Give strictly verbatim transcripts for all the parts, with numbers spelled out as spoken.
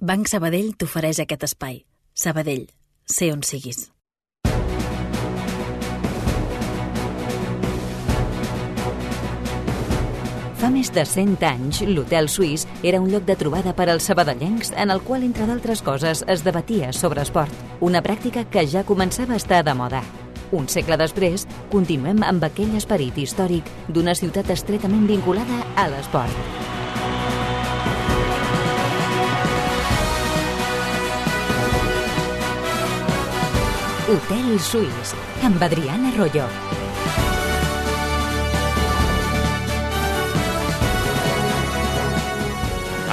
Banc Sabadell t'ofereix aquest espai. Sabadell, sé on siguis. Fa més de cent anys, l'Hotel Suís era un lloc de trobada per als sabadellencs en el qual, entre d'altres coses, es debatia sobre esport, una pràctica que ja començava a estar de moda. Un segle després, continuem amb aquell esperit històric d'una ciutat estretament vinculada a l'esport. Hotel Suís, amb Adriana Royo.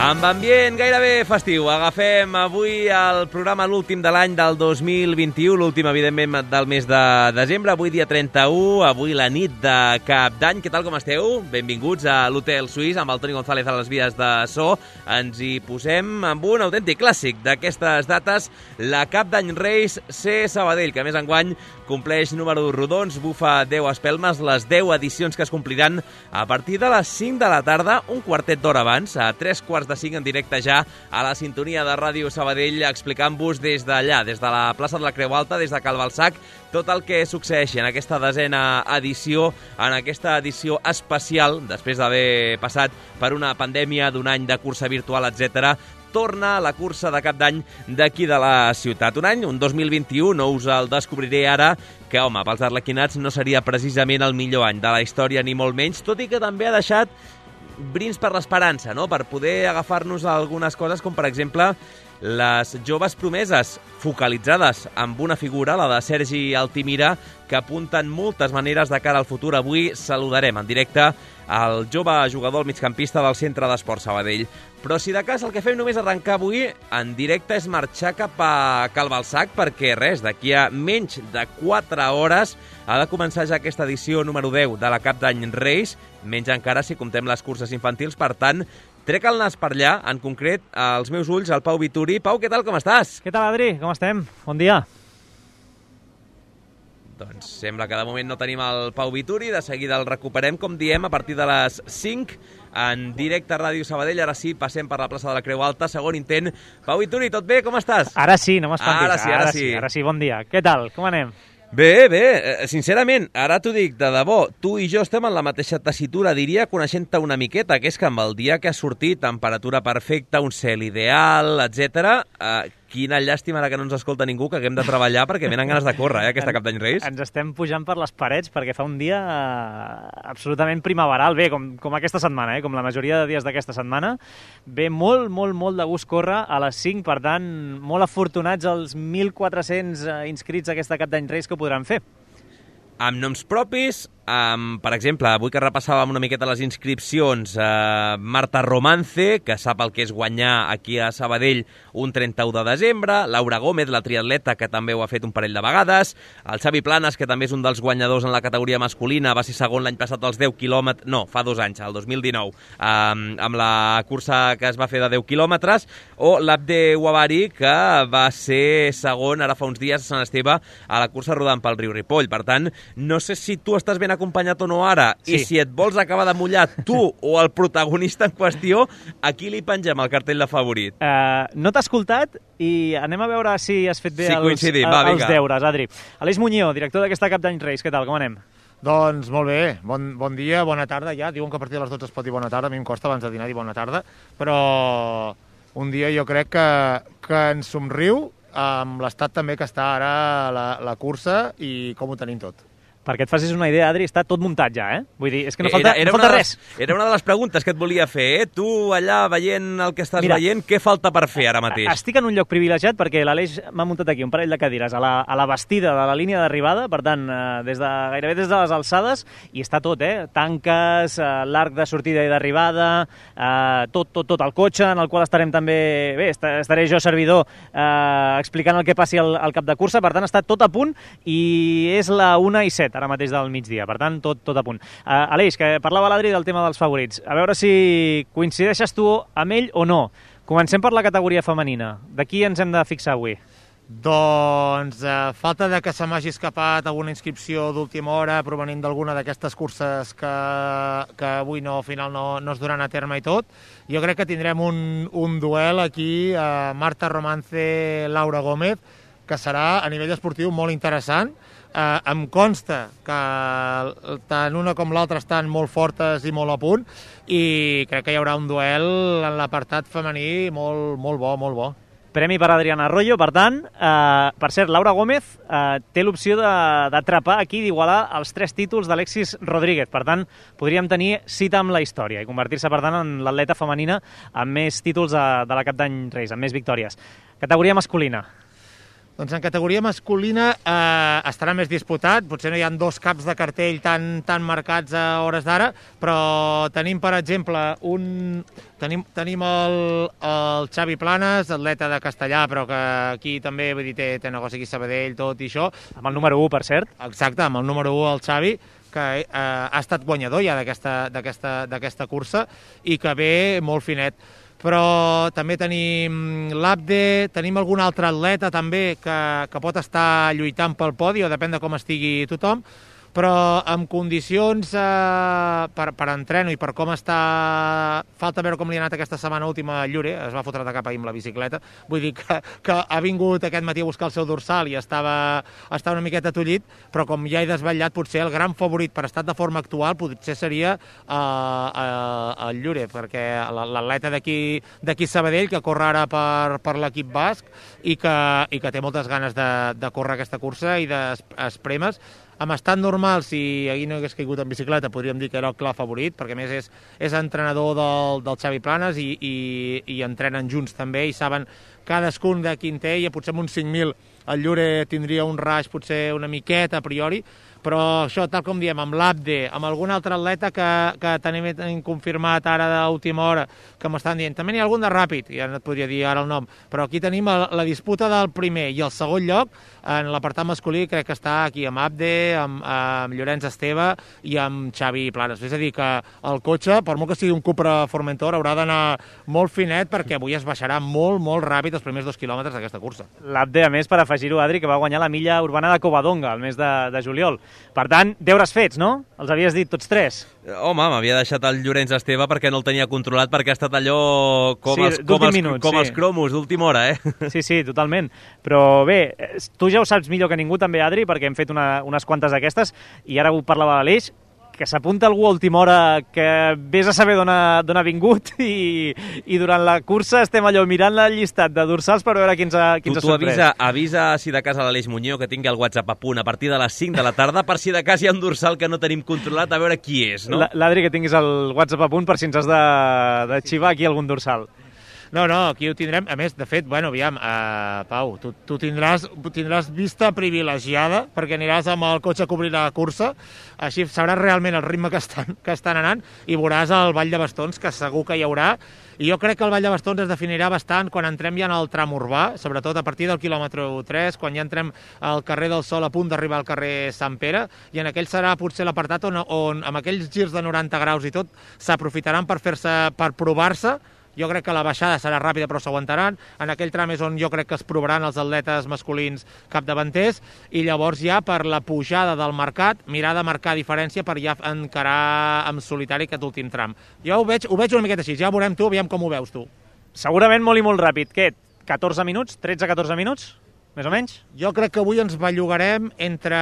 Amb ambient gairebé festiu, agafem avui el programa l'últim de l'any del dos mil vint-i-u, l'últim, evidentment, del mes de desembre, avui dia trenta-u, avui la nit de Cap d'Any. Què tal, com esteu? Benvinguts a l'Hotel Suís, amb el Toni González a les vies de so. Ens hi posem amb un autèntic clàssic d'aquestes dates, la Cap d'Any Reis C. Sabadell, que més enguany compleix números rodons, bufa deu espelmes, les deu edicions que es compliran a partir de les cinc de la tarda, un quartet d'hora abans, a tres quarts de cinc en directe ja a la sintonia de Ràdio Sabadell, explicant-vos des d'allà, des de la plaça de la Creu Alta, des de Cal Balsac, tot el que succeeixi en aquesta desena edició, en aquesta edició especial, després d'haver passat per una pandèmia d'un any de cursa virtual, etcètera, torna la cursa de Cap d'Any d'aquí de la ciutat. Un any, un dos mil vint-i-u, no us el descobriré ara, que, home, pels arlequinats no seria precisament el millor any de la història, ni molt menys, tot i que també ha deixat brins per l'esperança, no?, per poder agafar-nos a algunes coses, com per exemple les joves promeses focalitzades amb una figura, la de Sergi Altimira, que apunten moltes maneres de cara al futur. Avui saludarem en directe el jove jugador, el migcampista del Centre d'Esport Sabadell. Però si de cas el que fem només arrencar avui en directe és marxar cap a Cal Balsac, perquè res, d'aquí a menys de quatre hores ha de començar ja aquesta edició número deu de la Cap d'Any Reis, menys encara si comptem les curses infantils. Per tant, trec el nas per allà, en concret, als meus ulls, el Pau Vituri. Pau, què tal, com estàs? Què tal, Adri? Com estem? Bon dia. Doncs sembla que de moment no tenim el Pau Vituri, de seguida el recuperem, com diem, a partir de les cinc, en directe a Ràdio Sabadell. Ara sí, passem per la plaça de la Creu Alta, segon intent. Pau Vituri, tot bé? Com estàs? Ara sí, no m'espantis. Ara sí, ara, ara sí. sí. Ara sí, bon dia. Què tal? Com anem? Bé, bé, sincerament, ara t'ho dic de debò, tu i jo estem en la mateixa tessitura, diria, coneixent-te una miqueta, que és que amb el dia que ha sortit, temperatura perfecta, un cel ideal, etcètera, eh, quina llàstima ara que no ens escolta ningú, que haguem de treballar perquè venen ganes de córrer, eh, aquesta Cap d'Any Reis. Ens estem pujant per les parets perquè fa un dia eh, absolutament primaveral, bé, com, com aquesta setmana, eh, com la majoria de dies d'aquesta setmana. Ve molt, molt, molt de gust córrer a les cinc, per tant, molt afortunats els mil quatre-cents eh, inscrits a aquesta Cap d'Any Reis que ho podran fer. Amb noms propis, amb, per exemple, avui que repassàvem una miqueta les inscripcions, eh, Marta Romance, que sap el que és guanyar aquí a Sabadell un trenta-u de desembre, Laura Gómez, la triatleta, que també ho ha fet un parell de vegades, el Xavi Planes, que també és un dels guanyadors en la categoria masculina, va ser segon l'any passat als deu quilòmetres, no, fa dos anys, el dos mil dinou, eh, amb la cursa que es va fer de deu quilòmetres, o l'Abde Uabari, que va ser segon ara fa uns dies a Sant Esteve a la cursa rodant pel riu Ripoll. Per tant, no sé si tu estàs ben acompanyat o no ara, sí. I si et vols acabar de mullar tu o el protagonista en qüestió, aquí li pengem el cartell de favorit. Uh, no t'ha escoltat i anem a veure si has fet bé sí, els, va, els deures, Adri. Aleix Muñoz, director d'aquesta Cap d'Any Reis, què tal, com anem? Doncs molt bé, bon, bon dia, bona tarda ja. Diuen que a partir de les dotze es pot dir bona tarda, a mi em costa abans de dinar dir bona tarda, però un dia jo crec que, que ens somriu amb l'estat també que està ara la, la cursa i com ho tenim tot. Perquè et facis una idea, Adri, està tot muntat ja, eh? Vull dir, és que no falta, era, era no falta res. Les, era una de les preguntes que et volia fer, eh? Tu allà veient el que estàs Mira, veient, què falta per fer ara mateix? Estic en un lloc privilegiat perquè l'Aleix m'ha muntat aquí un parell de cadires a la, a la bastida de la línia d'arribada, per tant, eh, des de, gairebé des de les alçades, i està tot, eh? Tanques, eh, l'arc de sortida i d'arribada, eh, tot, tot, tot el cotxe, en el qual estarem també, bé, estaré jo servidor eh, explicant el que passi al, al cap de cursa, per tant, està tot a punt i és la una i set ara mateix del migdia, per tant, tot, tot a punt. Uh, Aleix, que parlava l'Adri del tema dels favorits. A veure si coincideixes tu amb ell o no. Comencem per la categoria femenina. De qui ens hem de fixar avui? Doncs eh, falta de que se m'hagi escapat alguna inscripció d'última hora provenint d'alguna d'aquestes curses que, que avui no, al final no, no es duran a terme i tot. Jo crec que tindrem un, un duel aquí, eh, Marta Romance, Laura Gómez, que serà a nivell esportiu molt interessant. Eh, em consta que tant una com l'altra estan molt fortes i molt a punt i crec que hi haurà un duel en l'apartat femení molt, molt bo, molt bo. Premi per Adriana Arroyo, per tant, eh, per cert, Laura Gómez eh, té l'opció d'atrapar aquí, d'igualar els tres títols d'Alexis Rodríguez. Per tant, podríem tenir cita amb la història i convertir-se, per tant, en l'atleta femenina amb més títols de, de la Cap d'Any Reis, amb més victòries. Categoria masculina. Doncs en categoria masculina eh, estarà més disputat, potser no hi ha dos caps de cartell tan, tan marcats a hores d'ara, però tenim, per exemple, un... tenim, tenim el, el Xavi Planes, atleta de Castellà, però que aquí també vull dir, té, té negoci aquí a Sabadell, tot i això. Amb el número u, per cert. Exacte, amb el número u, el Xavi, que eh, ha estat guanyador ja d'aquesta cursa i que ve molt finet. Però també tenim l'Abde, tenim algun altre atleta també que, que pot estar lluitant pel podi, o depèn de com estigui tothom, però en condicions eh, per, per entreno i per com està... Falta veure com li ha anat aquesta setmana última a Llure, es va fotre de cap ahir amb la bicicleta, vull dir que, que ha vingut aquest matí a buscar el seu dorsal i estava, estava una miqueta tollit, però com ja he desvetllat, potser el gran favorit per estat de forma actual potser seria eh, eh, el Llure, perquè l'atleta d'aquí Sabadell, que corre ara per, per l'equip basc i que, i que té moltes ganes de, de córrer aquesta cursa i d'espremes. Amb estat normal, si ahir no hagués caigut en bicicleta, podríem dir que era el clar favorit, perquè a més és, és entrenador del, del Xavi Planes i, i, i entrenen junts també i saben cadascun de quin té, i potser amb uns cinc mil el Llure tindria un raig potser una miqueta a priori, però això, tal com diem, amb l'Abde, amb algun altre atleta que, que tenim, tenim confirmat ara d'última hora, que m'estan dient, també n'hi ha algun de ràpid, ja no et podria dir ara el nom, però aquí tenim la, la disputa del primer i el segon lloc, en l'apartat masculí crec que està aquí amb Abde, amb, amb Llorenç Esteve i amb Xavi Planes. És a dir, que el cotxe, per molt que sigui un Cupra Formentor, haurà d'anar molt finet perquè avui es baixarà molt, molt ràpid els primers dos quilòmetres d'aquesta cursa. L'Abde, a més, per afegir-ho, Adri, que va guanyar la milla urbana de Covadonga el mes de, de juliol. Per tant, deures fets, no? Els havies dit tots tres. Home, m'havia deixat el Llorenç Esteve perquè no el tenia controlat, perquè ha estat allò com, sí, els, com, els, minuts, com sí. els cromos d'última hora, eh? Sí, sí, totalment. Però bé, tu ja ho saps millor que ningú també, Adri, perquè hem fet una, unes quantes d'aquestes, i ara ho parlava l'Aleix, que s'apunta algú a última hora que vés a saber d'on ha, ha vingut i, i durant la cursa estem allò mirant el llistat de dorsals per veure quins ha, quins tu, ha tu sorprès. avisa, avisa si de cas a l'Aleix Muñoz que tingui el WhatsApp a punt a partir de les cinc de la tarda per si de cas hi ha un dorsal que no tenim controlat a veure qui és, no? L'Adri, que tinguis el WhatsApp a punt per si ens has de, de xivar aquí algun dorsal. No, no, aquí ho tindrem. A més, de fet, bueno, aviam, uh, Pau, tu, tu tindràs, tindràs vista privilegiada perquè aniràs amb el cotxe a cobrir la cursa, així sabràs realment el ritme que estan, que estan anant i veuràs el Vall de Bastons, que segur que hi haurà. I jo crec que el Vall de Bastons es definirà bastant quan entrem ja en el tram urbà, sobretot a partir del quilòmetre tres, quan ja entrem al carrer del Sol a punt d'arribar al carrer Sant Pere, i en aquell serà potser l'apartat on, on amb aquells girs de noranta graus i tot s'aprofitaran per fer-se, per provar-se. Jo crec que la baixada serà ràpida però s'aguantaran. En aquell tram és on jo crec que es provaran els atletes masculins capdavanters i llavors ja per la pujada del mercat mirar de marcar diferència per ja encarar en solitari aquest últim tram. Jo ho veig, ho veig una miqueta així, ja veurem tu, aviam com ho veus tu. Segurament molt i molt ràpid. Què? catorze minuts? tretze a catorze minuts? Més o menys? Jo crec que avui ens bellugarem entre...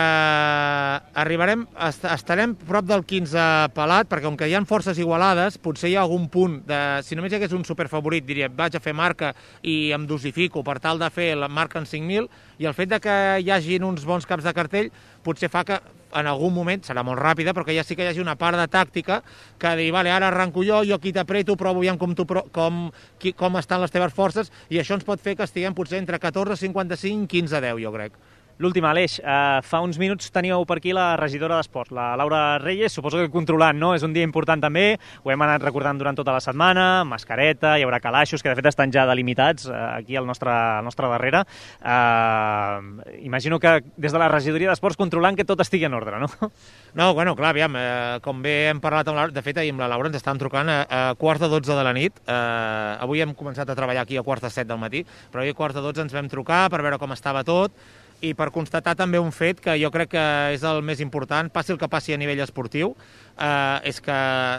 Arribarem, est estarem prop del quinze pelat, perquè com que hi ha forces igualades, potser hi ha algun punt de... Si només hi hagués un superfavorit, diria, vaig a fer marca i em dosifico per tal de fer la marca en cinc mil, i el fet de que hi hagin uns bons caps de cartell potser fa que en algun moment, serà molt ràpida, però que ja sí que hi hagi una part de tàctica que dir, vale, ara arranco jo, jo aquí t'apreto, provo aviam com, tu, com, qui, com estan les teves forces, i això ens pot fer que estiguem potser entre catorze cinquanta-cinc i quinze deu, jo crec. L'últim, Aleix, eh, fa uns minuts teníeu per aquí la regidora d'Esports, la Laura Reyes, suposo que controlant, no? És un dia important també, ho hem anat recordant durant tota la setmana, mascareta, hi haurà calaixos, que de fet estan ja delimitats eh, aquí al nostre, al nostre darrere. Eh, imagino que des de la regidoria d'Esports controlant que tot estigui en ordre, no? No, bueno, clar, aviam, eh, com bé hem parlat amb la Laura, de fet ahir amb la Laura ens estàvem trucant a, a quarts de dotze de la nit, eh, avui hem començat a treballar aquí a quarts de set del matí, però ahir a quarts de dotze ens vam trucar per veure com estava tot, i per constatar també un fet que jo crec que és el més important, passi el que passi a nivell esportiu, eh, és que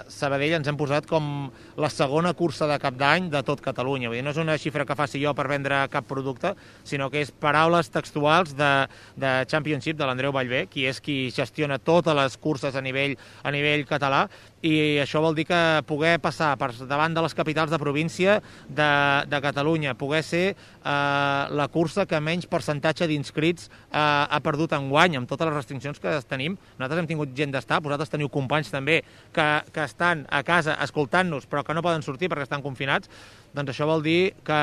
Sabadell ens hem posat com la segona cursa de cap d'any de tot Catalunya. Vull dir, no és una xifra que faci jo per vendre cap producte, sinó que és paraules textuals de, de Championship, de l'Andreu Vallvé, qui és qui gestiona totes les curses a nivell, a nivell català, i això vol dir que poder passar per davant de les capitals de província de, de Catalunya, poder ser eh, la cursa que menys percentatge d'inscrits eh, ha perdut enguany, amb totes les restriccions que tenim. Nosaltres hem tingut gent d'estar, vosaltres teniu companys també que, que estan a casa escoltant-nos però que no poden sortir perquè estan confinats. Doncs això vol dir que,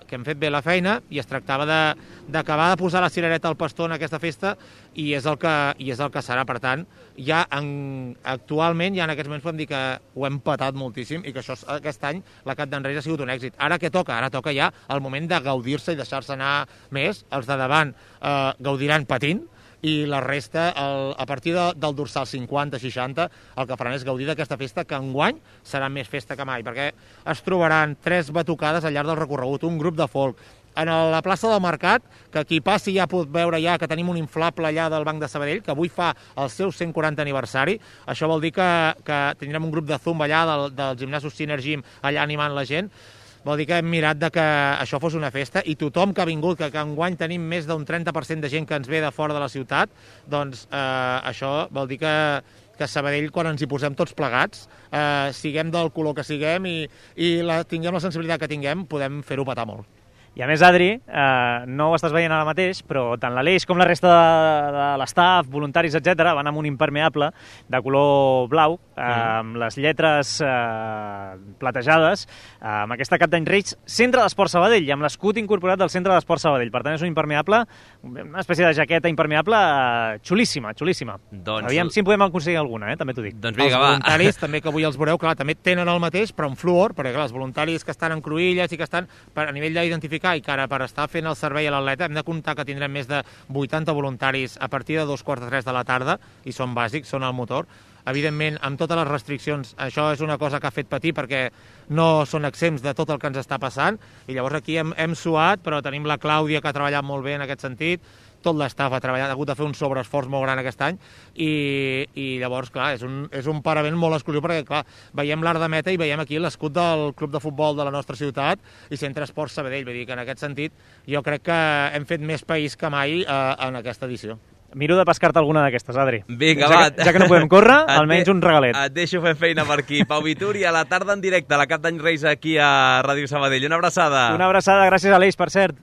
que hem fet bé la feina i es tractava d'acabar de, de posar la cirereta al pastó en aquesta festa i és el que, i és el que serà. Per tant, ja en, actualment, ja en aquests moments podem dir que ho hem patat moltíssim i que això, aquest any la Cap d'en Reis ha sigut un èxit. Ara què toca? Ara toca ja el moment de gaudir-se i deixar-se anar més. Els de davant eh, gaudiran patint, i la resta, el, a partir de, del dorsal cinquanta seixanta, el que faran és gaudir d'aquesta festa, que enguany serà més festa que mai, perquè es trobaran tres batucades al llarg del recorregut, un grup de folk. En la plaça del Mercat, que qui passi ja pot veure ja que tenim un inflable allà del Banc de Sabadell, que avui fa el seu cent quaranta aniversari. Això vol dir que, que tindrem un grup de zumba allà del, del gimnasos Synergy allà animant la gent. Vol dir que hem mirat de que això fos una festa i tothom que ha vingut, que, que enguany tenim més d'un trenta per cent de gent que ens ve de fora de la ciutat, doncs eh, això vol dir que, que Sabadell, quan ens hi posem tots plegats, eh, siguem del color que siguem i, i la, tinguem la sensibilitat que tinguem, podem fer-ho petar molt. I a més, Adri, eh, no ho estàs veient ara mateix, però tant l'Aleix com la resta de, de l'estaf, voluntaris, etcètera, van amb un impermeable de color blau, eh, amb les lletres eh, platejades, eh, amb aquesta Cap d'Any Reis, Centre d'Esport Sabadell, i amb l'escut incorporat del Centre d'Esport Sabadell. Per tant, és un impermeable, una espècie de jaqueta impermeable eh, xulíssima, xulíssima. Doncs... Aviam si en podem aconseguir alguna, eh? També t'ho dic. Doncs vinga, els va. voluntaris, també que avui els veureu, clar, també tenen el mateix, però en fluor, perquè clar, els voluntaris que estan en cruïlles i que estan per, a nivell d'identificar i que ara per estar fent el servei a l'atleta hem de comptar que tindrem més de vuitanta voluntaris a partir de dos quarts de tres de la tarda i són bàsics, són el motor. Evidentment, amb totes les restriccions, això és una cosa que ha fet patir perquè no són exempts de tot el que ens està passant i llavors aquí hem, hem suat, però tenim la Clàudia que ha treballat molt bé en aquest sentit, tot l'estaf ha treballat, ha hagut de fer un sobreesforç molt gran aquest any i, i llavors, clar, és un, és un paravent molt exclusiu perquè, clar, veiem l'art de meta i veiem aquí l'escut del club de futbol de la nostra ciutat i Centre Esport Sabadell, vull dir que en aquest sentit jo crec que hem fet més país que mai eh, en aquesta edició. Miro de pescar-te alguna d'aquestes, Adri. Vinga, ja va. Que, ja que no podem córrer, almenys un regalet. Et deixo fer feina per aquí. Pau Vituri, a la tarda en directe, a la Cap d'Any Reis aquí a Ràdio Sabadell. Una abraçada. Una abraçada, gràcies a l'Eix, per cert.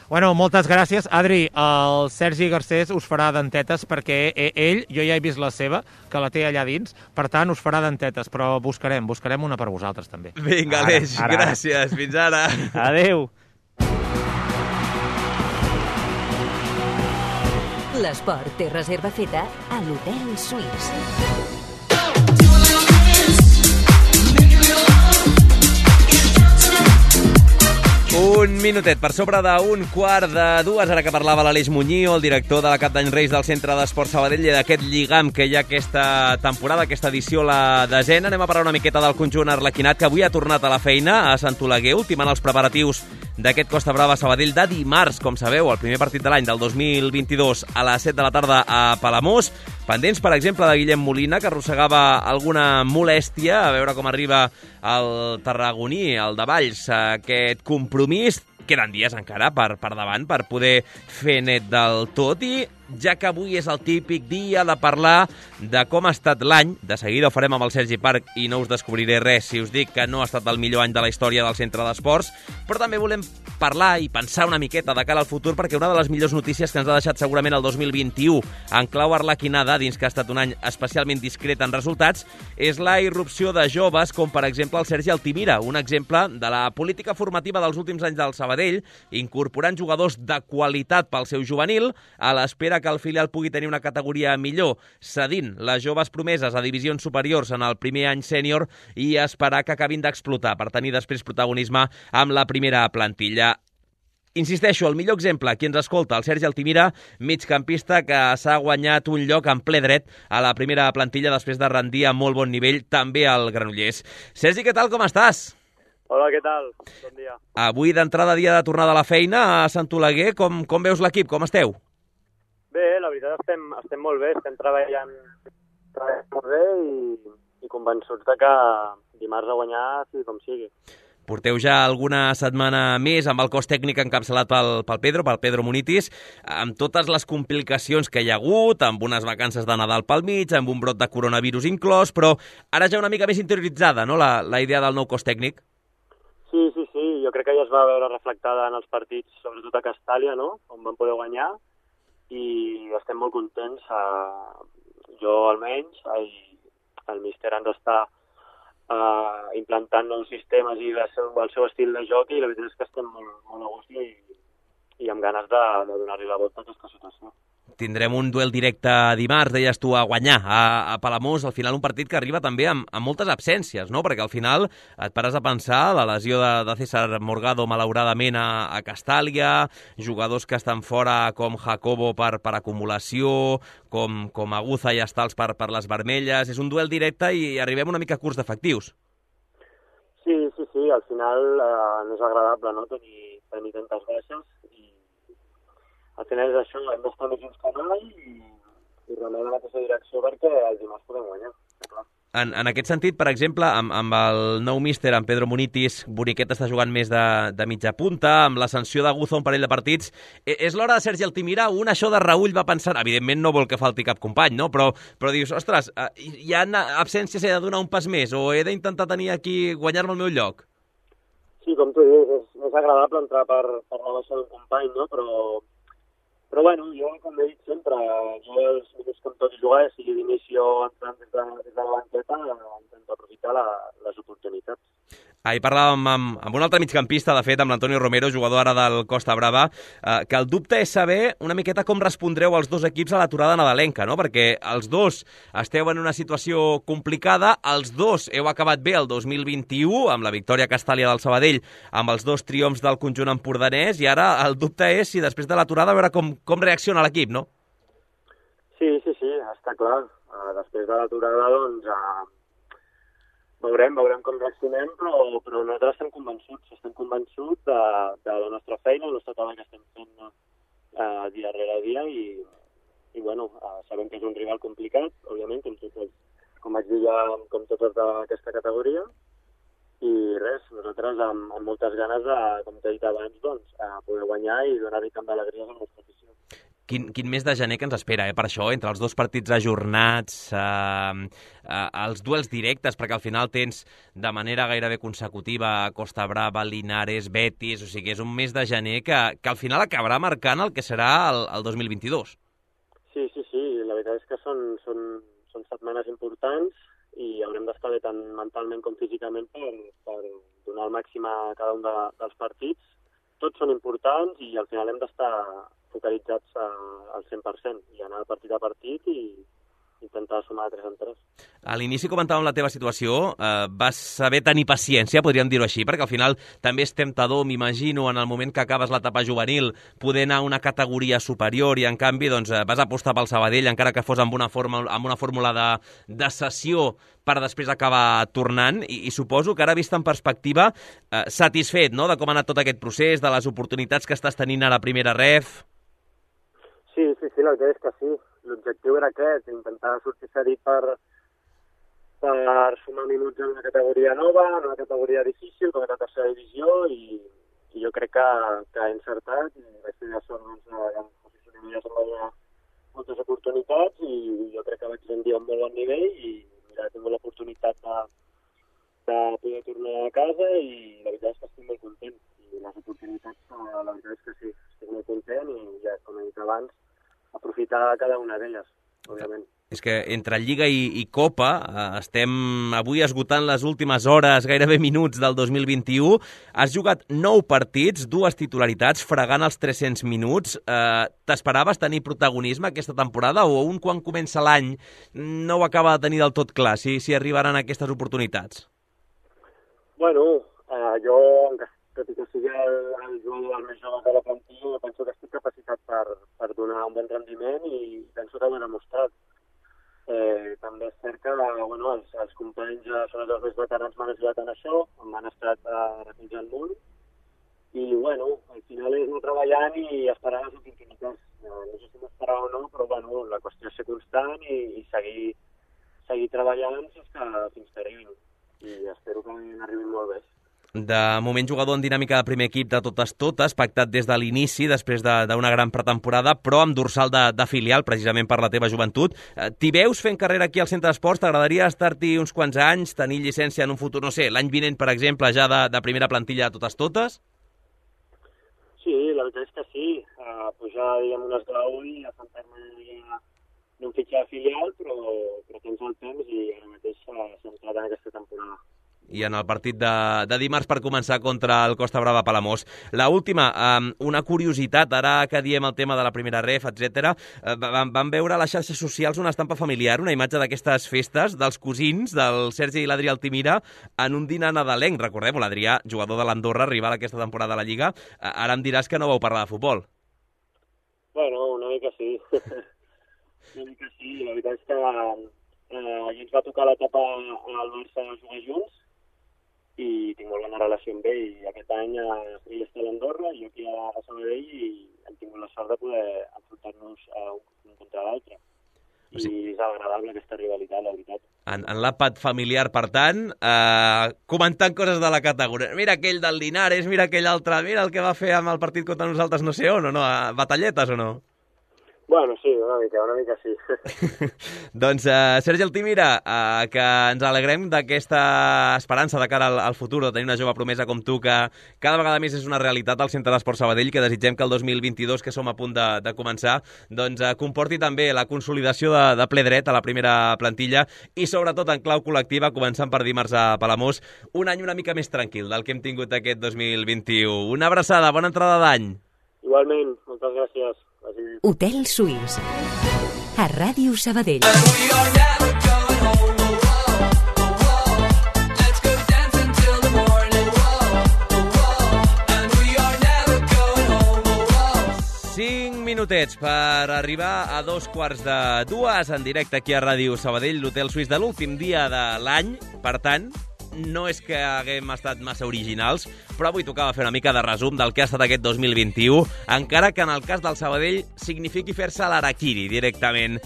Bueno, moltes gràcies. Adri, el Sergi Garcés us farà dentetes perquè ell, jo ja he vist la seva, que la té allà dins, per tant us farà dentetes, però buscarem, buscarem una per vosaltres també. Vinga, Aleix, gràcies. Fins ara. Adéu. L'esport té reserva feta a l'Hotel Suís. Un minutet per sobre d'un quart de dues, ara que parlava l'Aleix Muñío, el director de la Cap d'Any Reis del Centre d'Esport Sabadell, i d'aquest lligam que hi ha aquesta temporada, aquesta edició, la desena. Anem a parlar una miqueta del conjunt arlequinat, que avui ha tornat a la feina a Sant Oleguer, ultimant els preparatius d'aquest Costa Brava Sabadell de dimarts, com sabeu, el primer partit de l'any del dos mil vint-i-dos a les set de la tarda a Palamós. Pendents, per exemple, de Guillem Molina, que arrossegava alguna molèstia, a veure com arriba el tarragoní, el de Valls, aquest compromís. Queden dies encara per, per davant per poder fer net del tot i ja que avui és el típic dia de parlar de com ha estat l'any. De seguida ho farem amb el Sergi Parc i no us descobriré res si us dic que no ha estat el millor any de la història del centre d'esports, però també volem parlar i pensar una miqueta de cara al futur, perquè una de les millors notícies que ens ha deixat segurament el dos mil vint-i-u en clau arlequinada, dins que ha estat un any especialment discret en resultats, és la irrupció de joves com, per exemple, el Sergi Altimira, un exemple de la política formativa dels últims anys del Sabadell, incorporant jugadors de qualitat pel seu juvenil, a l'espera que el filial pugui tenir una categoria millor, cedint les joves promeses a divisions superiors en el primer any sènior i esperar que acabin d'explotar per tenir després protagonisme amb la primera plantilla. Insisteixo, el millor exemple, qui ens escolta, el Sergi Altimira, migcampista que s'ha guanyat un lloc en ple dret a la primera plantilla després de rendir a molt bon nivell també al Granollers. Sergi, què tal, com estàs? Hola, què tal? Bon dia. Avui d'entrada dia de tornada a la feina a Sant Oleguer, com, com veus l'equip, com esteu? Bé, la veritat estem, estem molt bé, estem treballant, treballant molt bé i, i convençuts de que dimarts a guanyar sigui com sigui. Porteu ja alguna setmana més amb el cos tècnic encapçalat pel, pel Pedro, pel Pedro Munitis, amb totes les complicacions que hi ha hagut, amb unes vacances de Nadal pel mig, amb un brot de coronavirus inclòs, però ara ja una mica més interioritzada, no?, la, la idea del nou cos tècnic. Sí, sí, sí, jo crec que ja es va veure reflectada en els partits, sobretot a Castàlia, no?, on van poder guanyar, i estem molt contents, eh, jo almenys, el, el míster ens està Uh, implantant nous sistemes i el seu, el seu estil de joc, i la veritat és que estem molt, molt a gust i, i amb ganes de, de donar-li la volta a aquesta situació. Tindrem un duel directe dimarts, deies tu, a guanyar a, a Palamós, al final un partit que arriba també amb, amb moltes absències, no? Perquè al final et pares a pensar la lesió de, de César Morgado malauradament a, a Castàlia, jugadors que estan fora com Jacobo per, per acumulació, com, com Aguza i Estals per, per les vermelles. És un duel directe i arribem una mica curts d'efectius. Sí, sí, sí, al final eh, no és agradable, no?, tenir, tenir tantes baixes, i al final és això, hem d'estar més junts que mai i, i remar la mateixa direcció perquè el dimarts podem guanyar, clar. En, en aquest sentit, per exemple, amb, amb el nou míster, amb Pedro Munitis, Boniquet està jugant més de, de mitja punta, amb l'ascensió d'Aguza un parell de partits. E, és l'hora de Sergi Altimira? Un això de Raül va pensar, evidentment no vol que falti cap company, no? Però, però dius, ostres, hi ha absències, he de donar un pas més, o he d'intentar tenir aquí, guanyar-me el meu lloc? Sí, com tu dius, és més agradable entrar per, per la baixa d'un company, no? Però... Però bueno, jo, com he dit sempre, jo els minuts que em toqui jugar, sigui d'inici o entrant des de, des de la banqueta, intento aprofitar la, les oportunitats. Ahir parlàvem amb, amb un altre migcampista, de fet, amb l'Antonio Romero, jugador ara del Costa Brava, eh, que el dubte és saber una miqueta com respondreu els dos equips a l'aturada nadalenca, no? Perquè els dos esteu en una situació complicada, els dos heu acabat bé el dos mil vint-i-u, amb la victòria a Castàlia del Sabadell, amb els dos triomfs del conjunt empordanès, i ara el dubte és si després de l'aturada veure com, com reacciona l'equip, no? Sí, sí, sí, està clar. Uh, després de l'aturada, doncs, uh, veurem, veurem com reaccionem, però, però nosaltres estem convençuts, estem convençuts de, de la nostra feina, el nostre treball que estem fent uh, dia rere dia, i, i bueno, uh, sabem que és un rival complicat, òbviament, com, tots els, com vaig dir ja, com tots els d'aquesta categoria, i res, nosaltres amb, amb moltes ganes de, com t'he dit abans, doncs, uh, poder guanyar i donar-hi tant d'alegries a la nostra afició. Quin, quin mes de gener que ens espera, eh? Per això, entre els dos partits ajornats, eh, eh, els duels directes, perquè al final tens de manera gairebé consecutiva Costa Brava, Linares, Betis, o sigui, és un mes de gener que, que al final acabarà marcant el que serà el, el dos mil vint-i-dos. Sí, sí, sí, la veritat és que són, són, són setmanes importants i haurem d'estar bé tant mentalment com físicament per, per donar el màxim a cada un de, dels partits. Tots són importants i al final hem d'estar focalitzats al cent per cent i anar partit a partit i intentar sumar tres en tres. A l'inici comentàvem la teva situació, eh, vas saber tenir paciència, podríem dir-ho així, perquè al final també és temptador, m'imagino, en el moment que acabes l'etapa juvenil, poder anar a una categoria superior i en canvi doncs, vas apostar pel Sabadell, encara que fos amb una, forma, amb una fórmula de, de cessió per després acabar tornant, i, i suposo que ara vist en perspectiva, eh, satisfet, no?, de com ha anat tot aquest procés, de les oportunitats que estàs tenint ara a primera ref. Sí, sí, sí, la veritat és que sí. L'objectiu era aquest, intentar sortir cedit per, per sumar minuts en una categoria nova, en una categoria difícil, com és la tercera divisió, i, i jo crec que, que he encertat, i vaig tenir la sort doncs, de posicionar-me amb la, moltes oportunitats i jo crec que vaig rendir a un molt bon nivell i mira, he tingut l'oportunitat de, de poder tornar a casa i la veritat és que estic molt content. I les oportunitats, la veritat és que sí, estic molt content i ja, com he dit abans, aprofitar cada una d'elles, òbviament. És que entre Lliga i, i Copa eh, estem avui esgotant les últimes hores, gairebé minuts del dos mil vint-i-u. Has jugat nou partits, dues titularitats, fregant els tres-cents minuts. Eh, T'esperaves tenir protagonisme aquesta temporada o un quan comença l'any no ho acaba de tenir del tot clar, si, si arribaran aquestes oportunitats? Bueno, eh, jo, tot i que sigui el, el jugador més jove de la plantilla, penso que estic capacitat per, per donar un bon rendiment i penso que ho he demostrat. Eh, també és cert que bueno, els, els companys, sobretot els més veterans, m'han ajudat en això, m'han estat eh, recolzant molt i bueno, al final és anar treballant i esperar les oportunitats. Eh, no sé si m'esperava o no, però bueno, la qüestió és ser constant i, i seguir, seguir treballant fins que, fins que arribin i espero que n'arribin molt bé. De moment jugador en dinàmica de primer equip de totes totes, pactat des de l'inici, després d'una gran pretemporada, però amb dorsal de, de filial, precisament per la teva joventut. T'hi veus fent carrera aquí al Centre d'Esports? T'agradaria estar-t'hi uns quants anys, tenir llicència en un futur, no sé, l'any vinent, per exemple, ja de, de primera plantilla de totes totes? Sí, la veritat és que sí. Uh, pujar, diguem, un esglaó i assentar-me en un fitxar filial, però, però tens el temps i ara mateix s'ha centrat en aquesta temporada. I en el partit de, de dimarts per començar contra el Costa Brava Palamós. La última, um, una curiositat, ara que diem el tema de la primera ref, etcètera, uh, vam, vam veure a les xarxes socials una estampa familiar, una imatge d'aquestes festes dels cosins del Sergi i l'Adrià Altimira en un dinar nadalenc. Recordem-ho, l'Adrià, jugador de l'Andorra, rival aquesta temporada a la Lliga. Uh, ara em diràs que no vau parlar de futbol. Bueno, una mica sí. una mica sí. La veritat és que eh, a ens va tocar l'etapa al Barça de jugar junts i tinc molt bona relació amb ell. I aquest any eh, ell està a l'Andorra i jo aquí a, a Sabadell i hem tingut la sort de poder enfrontar-nos uh, un contra l'altre. I sí, és agradable aquesta rivalitat, la veritat. En, en l'àpat familiar, per tant, eh, comentant coses de la categoria. Mira aquell del Linares, mira aquell altre, mira el que va fer amb el partit contra nosaltres no sé on, o no? Batalletes o no? Bueno, sí, una mica, una mica sí. Doncs, uh, Sergi Altimira, uh, que ens alegrem d'aquesta esperança de cara al, al futur, de tenir una jove promesa com tu, que cada vegada més és una realitat al Centre d'Esports Sabadell, que desitgem que el dos mil vint-i-dos, que som a punt de, de començar, doncs uh, comporti també la consolidació de, de ple dret a la primera plantilla i, sobretot, en clau col·lectiva, començant per dimarts a Palamós, un any una mica més tranquil del que hem tingut aquest dos mil vint-i-u. Una abraçada, bona entrada d'any. Igualment, moltes gràcies. Hotel Suís, a Ràdio Sabadell. Cinc minutets per arribar a dos quarts de dues en directe aquí a Ràdio Sabadell, l'Hotel Suís de l'últim dia de l'any. Per tant, no és que haguem estat massa originals, però avui tocava fer una mica de resum del que ha estat aquest dos mil vint-i-u, encara que en el cas del Sabadell signifiqui fer-se l'araquiri directament.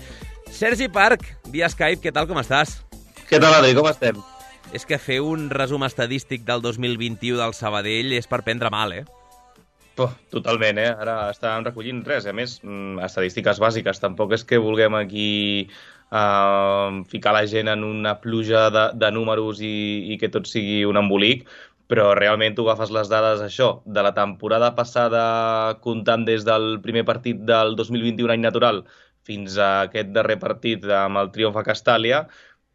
Sergi Parc, via Skype, què tal, com estàs? Què tal, Adri, com estem? És que fer un resum estadístic del dos mil vint-i-u del Sabadell és per prendre mal, eh? Oh, totalment, eh? Ara estàvem recollint res, a més, estadístiques bàsiques. Tampoc és que vulguem aquí Uh, ficar la gent en una pluja de, de números i, i que tot sigui un embolic, però realment tu agafes les dades, això, de la temporada passada, comptant des del primer partit del dos mil vint-i-u, any natural, fins a aquest darrer partit amb el triomf a Castàlia,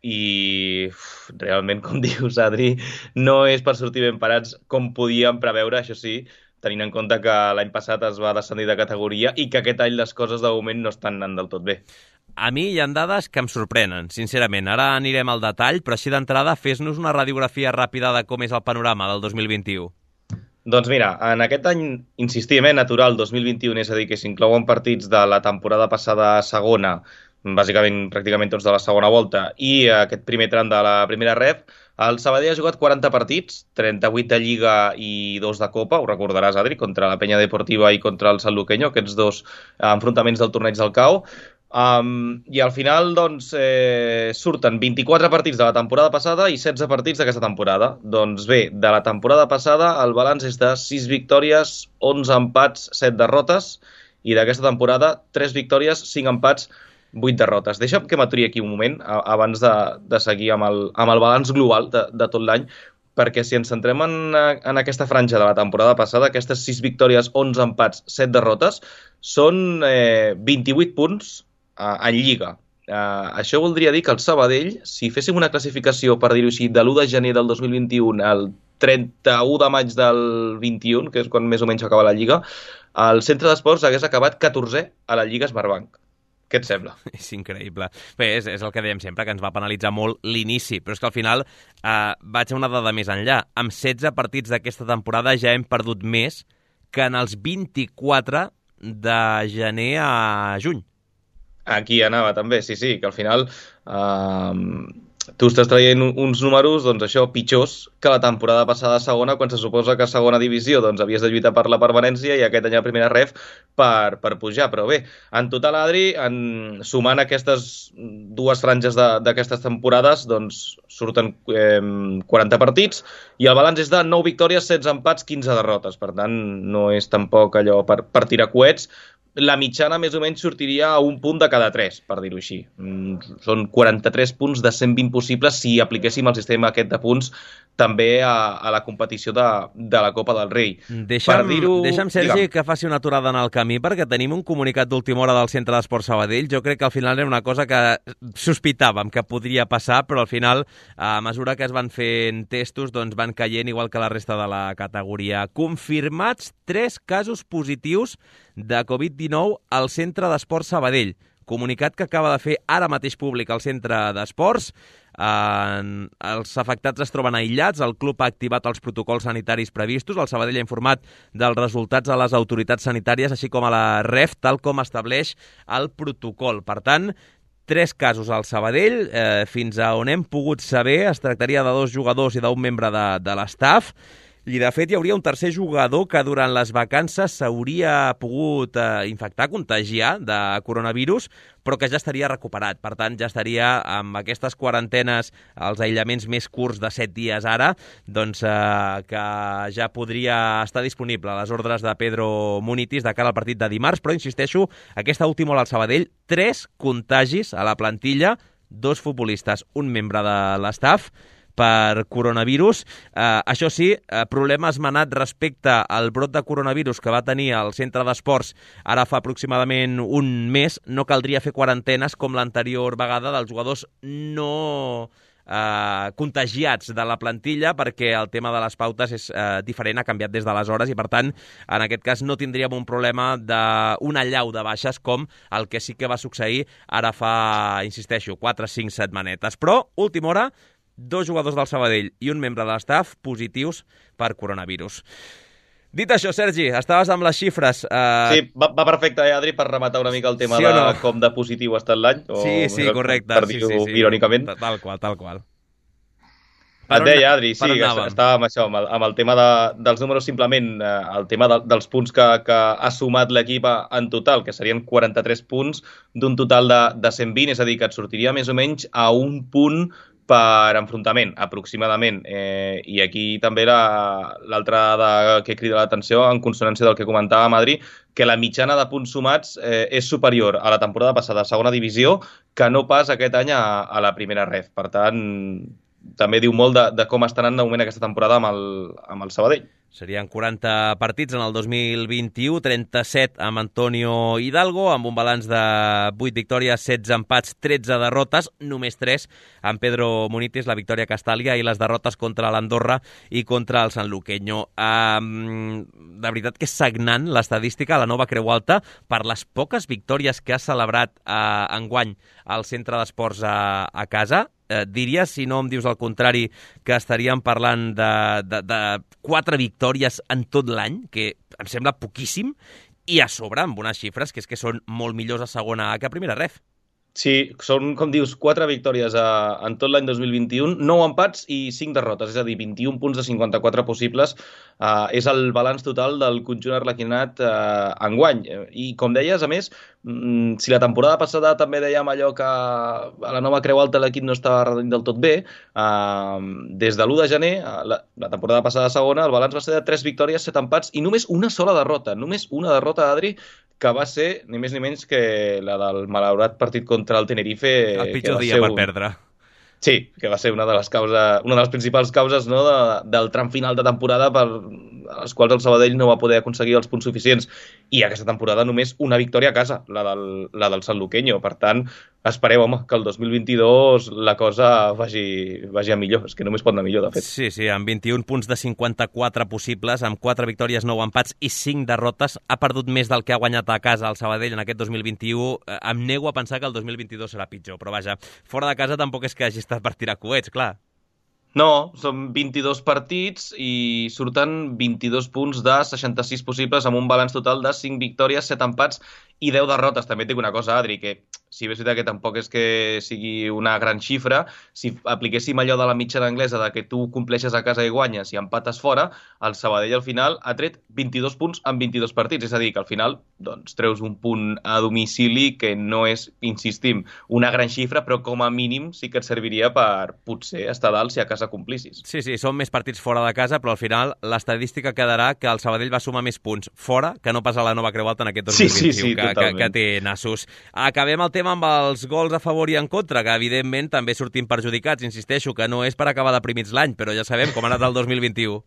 i uf, realment, com dius, Adri, no és per sortir ben parats com podíem preveure, això sí, tenint en compte que l'any passat es va descendir de categoria i que aquest any les coses de moment no estan anant del tot bé. A mi hi ha dades que em sorprenen, sincerament. Ara anirem al detall, però així d'entrada fes-nos una radiografia ràpida de com és el panorama del dos mil vint-i-u. Doncs mira, en aquest any, insistim, eh, natural dos mil vint-i-u, és a dir, que s'inclouen partits de la temporada passada a segona, bàsicament pràcticament tots de la segona volta, i aquest primer tram de la primera ref, el Sabadell ha jugat quaranta partits, trenta-vuit de Lliga i dos de Copa, ho recordaràs, Adri, contra la Penya Deportiva i contra el Sanluqueño, aquests dos enfrontaments del torneig del C A O. Um, I al final doncs, eh, surten vint-i-quatre partits de la temporada passada i setze partits d'aquesta temporada. Doncs bé, de la temporada passada el balanç és de sis victòries, onze empats, set derrotes, i d'aquesta temporada tres victòries, cinc empats, vuit derrotes. Deixa'm que m'aturi aquí un moment abans de, de seguir amb el, amb el balanç global de, de tot l'any, perquè si ens centrem en, en aquesta franja de la temporada passada, aquestes sis victòries, onze empats, set derrotes, són eh, vint-i-vuit punts eh, en Lliga. Eh, això voldria dir que el Sabadell, si féssim una classificació, per dir-ho així, de l'u de gener del dos mil vint-i-u al trenta-u de maig del vint-i-un, que és quan més o menys acaba la Lliga, el Centre d'Esports hagués acabat catorzè a la Lliga Smartbank. Què et sembla? És increïble. Bé, és, és el que dèiem sempre, que ens va penalitzar molt l'inici, però és que al final eh, vaig a una dada més enllà. Amb setze partits d'aquesta temporada ja hem perdut més que en els vint-i-quatre de gener a juny. Aquí anava també, sí, sí, que al final eh, tu estàs traient uns números, doncs això, pitjors que la temporada passada a segona, quan se suposa que a segona divisió doncs havies de lluitar per la permanència i aquest any a primera ref per, per pujar. Però bé, en total, Adri, en, sumant aquestes dues franges d'aquestes temporades, doncs surten eh, quaranta partits i el balanç és de nou victòries, setze empats, quinze derrotes. Per tant, no és tampoc allò per, per tirar coets. La mitjana més o menys sortiria a un punt de cada tres, per dir-ho així. Són quaranta-tres punts de cent vint possibles si apliquéssim el sistema aquest de punts també a, a la competició de, de la Copa del Rei. Deixa'm, deixa'm Sergi, digue'm, que faci una aturada en el camí, perquè tenim un comunicat d'última hora del Centre d'Esports Sabadell. Jo crec que al final era una cosa que sospitàvem que podria passar, però al final, a mesura que es van fent testos, doncs van caient igual que la resta de la categoria. Confirmats tres casos positius de covid dinou al Centre d'Esports Sabadell. Comunicat que acaba de fer ara mateix públic el Centre d'Esports. Eh, els afectats es troben aïllats, el club ha activat els protocols sanitaris previstos, el Sabadell ha informat dels resultats a les autoritats sanitàries, així com a la ref, tal com estableix el protocol. Per tant, tres casos al Sabadell, eh, fins a on hem pogut saber, es tractaria de dos jugadors i d'un membre de, de l'estaf. I, de fet, hi hauria un tercer jugador que durant les vacances s'hauria pogut eh, infectar, contagiar de coronavirus, però que ja estaria recuperat. Per tant, ja estaria amb aquestes quarantenes, els aïllaments més curts de set dies ara, doncs eh, que ja podria estar disponible a les ordres de Pedro Munitis de cara al partit de dimarts. Però, insisteixo, aquesta última hora al Sabadell, tres contagis a la plantilla, dos futbolistes, un membre de l'estaf, per coronavirus. Eh, això sí, eh, problema esmenat respecte al brot de coronavirus que va tenir el Centre d'Esports ara fa aproximadament un mes. No caldria fer quarantenes com l'anterior vegada dels jugadors no eh, contagiats de la plantilla, perquè el tema de les pautes és eh, diferent, ha canviat des d'aleshores i, per tant, en aquest cas no tindríem un problema d'una allau de baixes com el que sí que va succeir ara fa, insisteixo, quatre o cinc setmanetes. Però, última hora, dos jugadors del Sabadell i un membre de l'estaf positius per coronavirus. Dit això, Sergi, estaves amb les xifres. Uh... Sí, va, va perfecte, eh, Adri, per rematar una mica el tema sí de no? com de positiu ha estat l'any. O... Sí, sí, correcte. Per sí, dir-ho sí, sí. irònicament. Tal qual, tal qual. Et deia, Adri, sí, estàvem això, amb el, amb el tema de, dels números, simplement eh, el tema de, dels punts que, que ha sumat l'equip en total, que serien quaranta-tres punts d'un total de, de cent vint, és a dir, que et sortiria més o menys a un punt per enfrontament, aproximadament. Eh, I aquí també l'altra dada que crida l'atenció, en consonància del que comentava Adri, que la mitjana de punts sumats eh, és superior a la temporada passada a segona divisió que no pas aquest any a, a la primera ref. Per tant, també diu molt de, de com està anant de moment aquesta temporada amb el, amb el Sabadell. Serien quaranta partits en el dos mil vint-i-u, trenta-set amb Antonio Hidalgo, amb un balanç de vuit victòries, setze empats, tretze derrotes, només tres amb Pedro Munitis, la victòria a Castàlia, i les derrotes contra l'Andorra i contra el Sanluqueño. Um, de veritat que és sagnant l'estadística, la Nova Creu Alta, per les poques victòries que ha celebrat uh, enguany al Centre d'Esports a, a casa. Eh, diria, si no em dius el contrari, que estaríem parlant de, de, de quatre victòries en tot l'any, que em sembla poquíssim, i a sobre amb unes xifres que és que són molt millors a segona A que a primera ref. Sí, són, com dius, quatre victòries a, en tot l'any dos mil vint-i-u, nou empats i cinc derrotes, és a dir, vint-i-un punts de cinquanta-quatre possibles. Uh, és el balanç total del conjunt arlequinat uh, enguany. I, com deies, a més, mm, si la temporada passada també dèiem allò que a la Nova Creu Alta l'equip no estava rendint del tot bé, uh, des de l'u de gener, uh, la, la temporada passada segona, el balanç va ser de tres victòries, set empats i només una sola derrota. Només una derrota, Adri, que va ser ni més ni menys que la del malaurat partit contra el Tenerife. El pitjor dia per un... perdre. Sí, que va ser una de les causes, una de les principals causes, no, de, del tram final de temporada per les quals el Sabadell no va poder aconseguir els punts suficients. I aquesta temporada només una victòria a casa, la del, la del Sanluqueño. Per tant, espereu, home, que el dos mil vint-i-dos la cosa vagi, vagi a millor. És que només pot anar millor, de fet. Sí, sí, amb vint-i-un punts de cinquanta-quatre possibles, amb quatre victòries, nou empats i cinc derrotes, ha perdut més del que ha guanyat a casa el Sabadell en aquest dos mil vint-i-u. Em nego a pensar que el dos mil vint-i-dos serà pitjor, però vaja, fora de casa tampoc és que hagi estat per tirar coets, clar. No, són vint-i-dos partits i surten vint-i-dos punts de seixanta-sis possibles amb un balanç total de cinc victòries, set empats i deu derrotes. També et dic una cosa, Adri, que si bé és veritat que tampoc és que sigui una gran xifra, si apliquéssim allò de la mitjana anglesa de que tu compleixes a casa i guanyes i empates fora, el Sabadell al final ha tret vint-i-dos punts en vint-i-dos partits. És a dir, que al final doncs, treus un punt a domicili que no és, insistim, una gran xifra, però com a mínim sí que et serviria per potser estar dalt si a casa complissis. Sí, sí, són més partits fora de casa, però al final l'estadística quedarà que el Sabadell va sumar més punts fora que no pas a la Nova Creu Alta en aquest dos mil vint-i-u, sí, sí, sí, que, que, que té nassos. Acabem el tema amb els gols a favor i en contra, que evidentment també sortim perjudicats. Insisteixo que no és per acabar deprimits l'any, però ja sabem com ha anat el dos mil vint-i-u.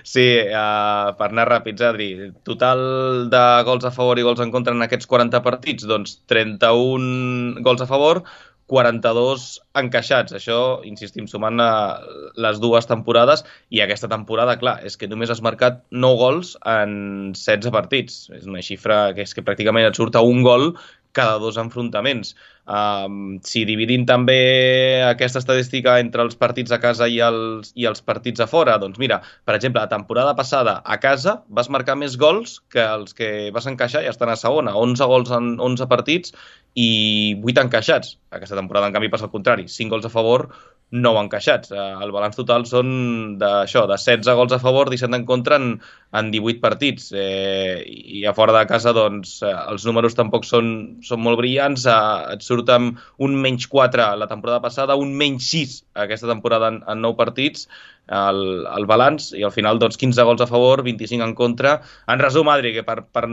Sí, uh, per anar ràpids, Adri, total de gols a favor i gols en contra en aquests quaranta partits, doncs trenta-un gols a favor, quaranta-dos encaixats. Això, insistim, sumant les dues temporades, i aquesta temporada, clar, és que només has marcat nou gols en setze partits. És una xifra que és que pràcticament et surt a un gol cada dos enfrontaments. Um, si dividim també aquesta estadística entre els partits a casa i els, i els partits a fora, doncs mira, per exemple, la temporada passada a casa vas marcar més gols que els que vas encaixar i estan a segona, onze gols en onze partits i vuit encaixats. Aquesta temporada, en canvi, passa al contrari, cinc gols a favor, nou encaixats. El balanç total són d'això, de setze gols a favor, disset en contra en, en divuit partits. Eh, I a fora de casa, doncs, els números tampoc són, són molt brillants. Eh, et surt amb un menys quatre la temporada passada, un menys sis aquesta temporada en, en nou partits, el, el balanç, i al final doncs, quinze gols a favor, vint-i-cinc en contra. En resum, Adri, que per, per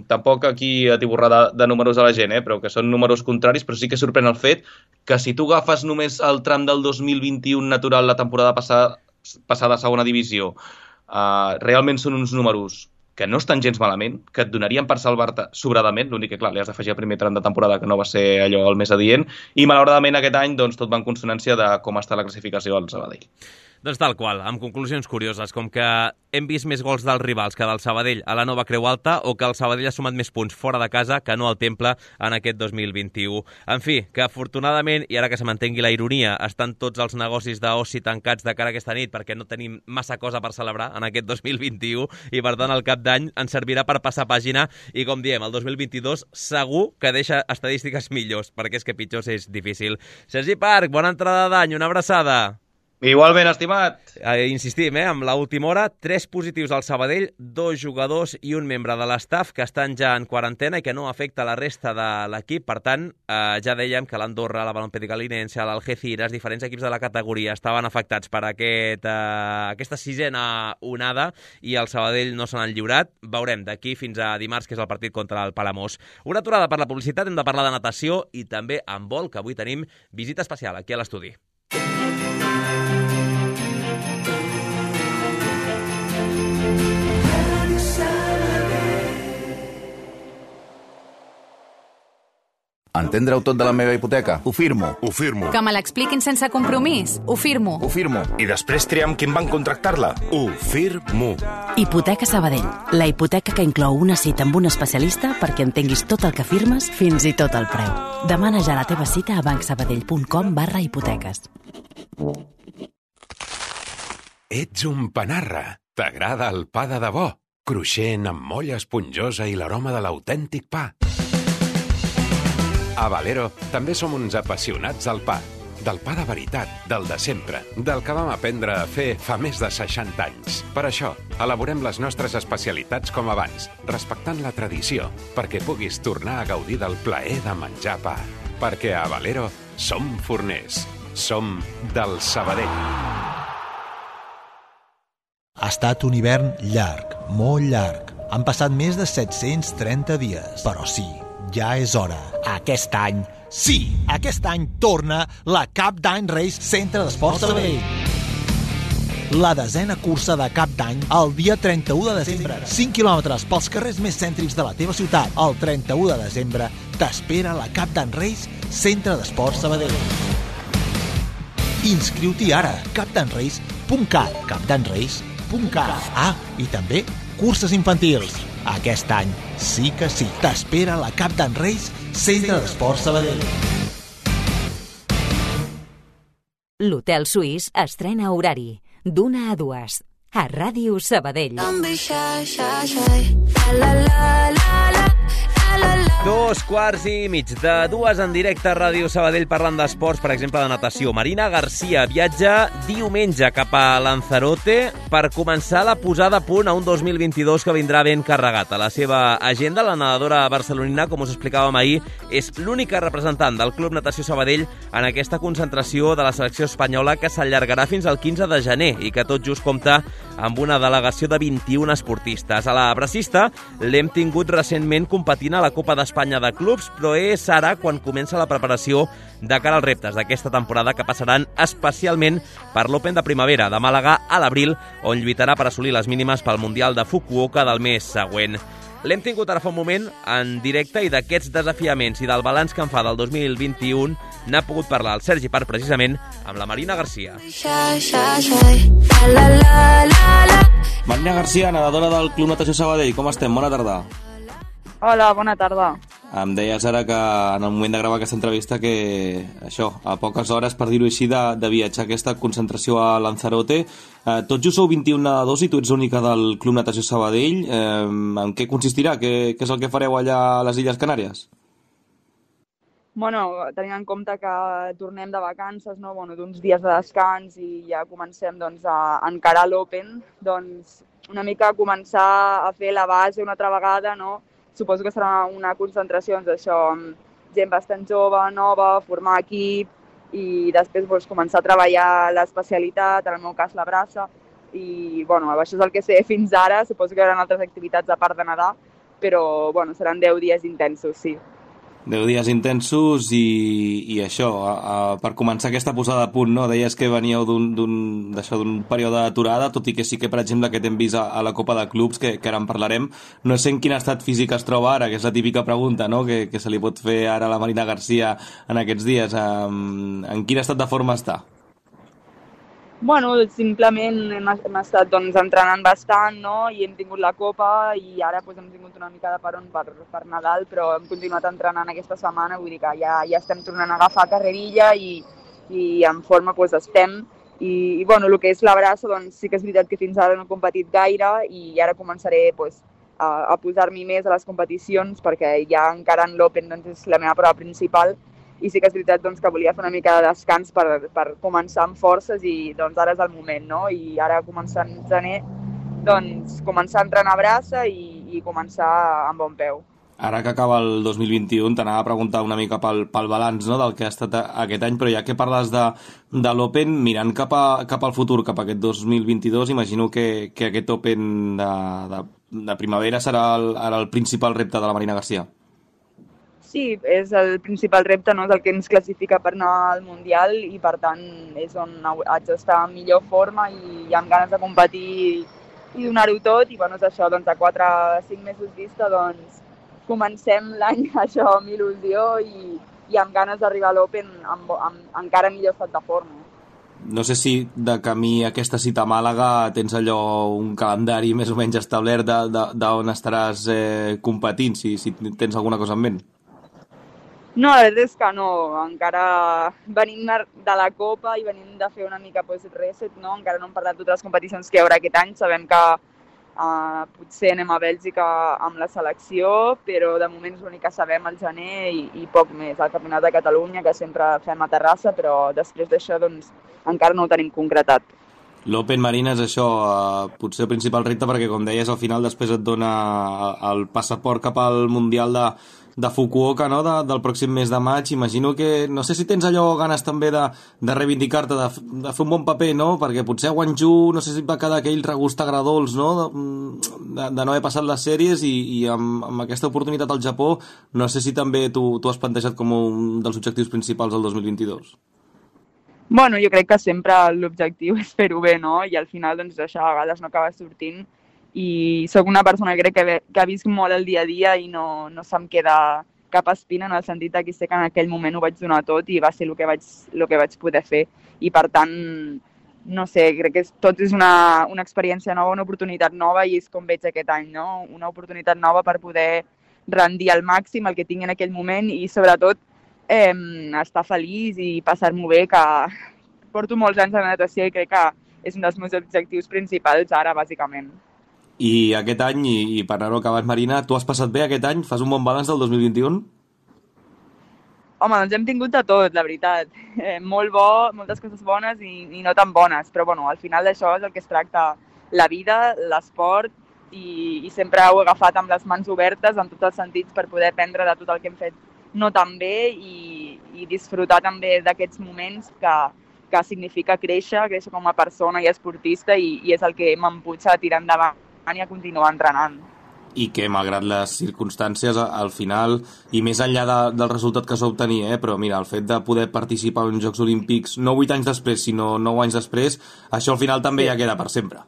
tampoc aquí atiborrar de, de números a la gent, eh, però que són números contraris, però sí que sorprèn el fet que si tu agafes només el tram del dos mil vint-i-u natural la temporada passada, passada a segona divisió, eh, realment són uns números que no estan gens malament, que et donarien per salvar-te sobradament, l'únic que, clar, li has d'afegir el primer tram de temporada, que no va ser allò el més adient, i malauradament aquest any doncs, tot va en consonància de com està la classificació del Sabadell. Doncs tal qual, amb conclusions curioses, com que hem vist més gols dels rivals que del Sabadell a la Nova Creu Alta, o que el Sabadell ha sumat més punts fora de casa que no al Temple en aquest dos mil vint-i-u. En fi, que afortunadament, i ara que se m'entengui la ironia, estan tots els negocis d'oci tancats de cara a aquesta nit perquè no tenim massa cosa per celebrar en aquest dos mil vint-i-u, i per tant el cap d'any ens servirà per passar pàgina, i com diem, el dos mil vint-i-dos segur que deixa estadístiques millors, perquè és que pitjors és difícil. Sergi Parc, bona entrada d'any, una abraçada. Igualment, estimat. Eh, insistim, eh, amb l'última hora, tres positius al Sabadell, dos jugadors i un membre de l'estaf que estan ja en quarantena i que no afecta la resta de l'equip. Per tant, eh, ja dèiem que l'Andorra, la Balompié Linense, l'Algeciras, diferents equips de la categoria estaven afectats per aquest, eh, aquesta sisena onada, i el Sabadell no se n'han lliurat. Veurem d'aquí fins a dimarts, que és el partit contra el Palamós. Una aturada per la publicitat, hem de parlar de natació i també en vol, que avui tenim visita especial aquí a l'estudi. Entendre-ho tot de la meva hipoteca? Ho firmo. Ho firmo. Que me l'expliquin sense compromís? Ho firmo. Ho firmo. I després triar amb qui em van contractar-la? Ho firmo. Hipoteca Sabadell. La hipoteca que inclou una cita amb un especialista perquè entenguis tot el que firmes, fins i tot el preu. Demana ja la teva cita a bancsabadell.com barra hipoteques. Ets un panarra. T'agrada el pa de debò? Cruixent, amb molla esponjosa i l'aroma de l'autèntic pa. A Valero també som uns apassionats del pa. Del pa de veritat, del de sempre, del que vam aprendre a fer fa més de seixanta anys. Per això, elaborem les nostres especialitats com abans, respectant la tradició, perquè puguis tornar a gaudir del plaer de menjar pa. Perquè a Valero som forners. Som del Sabadell. Ha estat un hivern llarg, molt llarg. Han passat més de set-cents trenta dies, però sí, ja és hora. Aquest any, sí, aquest any torna la Cap d'Any Race Centre d'Esports Sabadell. La desena cursa de Cap d'Any el dia trenta-u de desembre. cinc quilòmetres pels carrers més cèntrics de la teva ciutat. El trenta-u de desembre t'espera la Cap d'Any Race Centre d'Esports Sabadell. Inscriu-t'hi ara, capdanrace punt cat, capdanrace punt cat. Ah, i també curses infantils. Aquest any sí que sí. T'espera la Cap d'Any Race Centre d'Esports Sabadell. L'Hotel Suís estrena horari d'una a dues a Ràdio Sabadell. Dos quarts i mig de dues en directe a Ràdio Sabadell parlant d'esports, per exemple, de natació. Marina Garcia viatja diumenge cap a Lanzarote per començar la posada a punt a un dos mil vint-i-dos que vindrà ben carregat. A la seva agenda, la nedadora barcelonina, com us explicàvem ahir, és l'única representant del Club Natació Sabadell en aquesta concentració de la selecció espanyola que s'allargarà fins al quinze de gener i que tot just compta amb una delegació de vint-i-un esportistes. A la bracista l'hem tingut recentment competint a la Copa d'Espanya de Clubs, però és ara quan comença la preparació de cara als reptes d'aquesta temporada que passaran especialment per l'Open de Primavera de Màlaga a l'abril, on lluitarà per assolir les mínimes pel Mundial de Fukuoka del mes següent. L'hem tingut ara fa un moment en directe i d'aquests desafiaments i del balanç que en fa del dos mil vint-i-u n'ha pogut parlar el Sergi Parc precisament amb la Marina Garcia. Marina Garcia, nedadora del Club Natació Sabadell, com estem? Bona tarda. Hola, bona tarda. Em deies ara que en el moment de gravar aquesta entrevista que això, a poques hores, per dir-ho així, de, de viatjar aquesta concentració a Lanzarote. Eh, tots just sou vint-i-un nedadors i tu ets única del Club Natació Sabadell. Eh, en què consistirà? Què, què és el que fareu allà a les Illes Canàries? Bueno, tenint en compte que tornem de vacances, no? Bueno, d'uns dies de descans i ja comencem doncs, a encarar l'Open, doncs una mica començar a fer la base una altra vegada, no? Suposo que serà una concentració, doncs, això, amb gent bastant jove, nova, formar equip i després doncs, començar a treballar l'especialitat, en el meu cas la braça. I bueno, això és el que sé fins ara, suposo que hi haurà altres activitats a part de nedar, però bueno, seran deu dies intensos, sí. deu dies intensos i, i això, a, a, per començar aquesta posada a punt, no? Deies que veníeu d'un període d'aturada, tot i que sí que, per exemple, que t'hem vist a, a la Copa de Clubs, que, que ara en parlarem. No sé en quin estat físic es troba ara, que és la típica pregunta, no? que, que se li pot fer ara a la Marina Garcia en aquests dies. En, en quin estat de forma està? Bueno, simplement hem, hem estat doncs, entrenant bastant, no? I hem tingut la Copa i ara doncs, hem tingut una mica de peron per, per Nadal, però hem continuat entrenant aquesta setmana, vull dir que ja, ja estem tornant a agafar carrerilla i, i en forma doncs, estem. I, i bueno, el que és la braça, doncs sí que és veritat que fins ara no he competit gaire i ara començaré doncs, a, a posar-m'hi més a les competicions perquè ja encarant l'Open doncs, és la meva prova principal. I sí que és veritat doncs, que volia fer una mica de descans per, per començar amb forces i doncs, ara és el moment, no? I ara començant gener, doncs començar a entrenar braça i, i començar amb bon peu. Ara que acaba el dos mil vint-i-u, t'anava a preguntar una mica pel, pel balanç, no?, del que ha estat aquest any, però ja que parles de, de l'Open, mirant cap, a, cap al futur, cap a aquest dos mil vint-i-dos, imagino que, que aquest Open de, de, de primavera serà el, ara el principal repte de la Marina Garcia. Sí, és el principal repte, no? És el que ens classifica per anar al Mundial i per tant és on haig d'estar en millor forma i amb ganes de competir i donar-ho tot i bueno, és això, doncs a quatre o cinc mesos vista doncs comencem l'any això amb il·lusió i, i amb ganes d'arribar a l'Open amb, amb encara millor estat de forma. No sé si de camí a aquesta cita a Màlaga tens allò un calendari més o menys establert d'on estaràs eh, competint, si, si tens alguna cosa en ment. No, la veritat és que no, encara venim de la Copa i venim de fer una mica pues, reset, no? Encara no hem parlat de totes les competicions que hi haurà aquest any, sabem que uh, potser anem a Bèlgica amb la selecció, però de moment és l'únic que sabem al gener i, i poc més, el Campionat de Catalunya, que sempre fem a Terrassa, però després d'això doncs, encara no ho tenim concretat. L'Open Marina és això, eh, potser el principal repte perquè, com deies, al final després et dona el passaport cap al Mundial de, de Fukuoka, no?, de, del pròxim mes de maig. Imagino que, no sé si tens allò ganes també de, de reivindicar-te, de, de fer un bon paper, no?, perquè potser a Guangzhou no sé si et va quedar aquell regust agradolç, no?, de, de, de no haver passat les sèries, i, i amb, amb aquesta oportunitat al Japó no sé si també tu, tu has plantejat com un dels objectius principals del dos mil vint-i-dos. Bueno, jo crec que sempre l'objectiu és fer-ho bé, no? I al final, doncs, això a vegades no acaba sortint. I sóc una persona que crec que, que visc molt el dia a dia i no, no se'm queda cap espina, en el sentit que sé que en aquell moment ho vaig donar tot i va ser el que vaig, el que vaig poder fer. I per tant, no sé, crec que és, tot és una, una experiència nova, una oportunitat nova, i és com veig aquest any, no? Una oportunitat nova per poder rendir al màxim el que tinc en aquell moment i, sobretot, eh, estar feliç i passar-m'ho bé, que porto molts anys a la natació i crec que és un dels meus objectius principals ara, bàsicament. I aquest any, i, i per anar-ho acabant, Marina, tu has passat bé aquest any? Fas un bon balanç del dos mil vint-i-u? Home, doncs hem tingut de tot, la veritat. Eh, molt bo, moltes coses bones i, i no tan bones, però bueno, al final d'això és el que es tracta la vida, l'esport, i, i sempre ho he agafat amb les mans obertes en tots els sentits per poder aprendre de tot el que hem fet no tan bé i, i disfrutar també d'aquests moments que, que significa créixer, créixer com a persona i esportista, i, i és el que m'emputxa a tirar endavant i a continuar entrenant. I que, malgrat les circumstàncies, al final, i més enllà de, del resultat que es va obtenir, eh, però mira, el fet de poder participar en Jocs Olímpics no vuit anys després, sinó nou anys després, això al final també sí. Ja queda per sempre.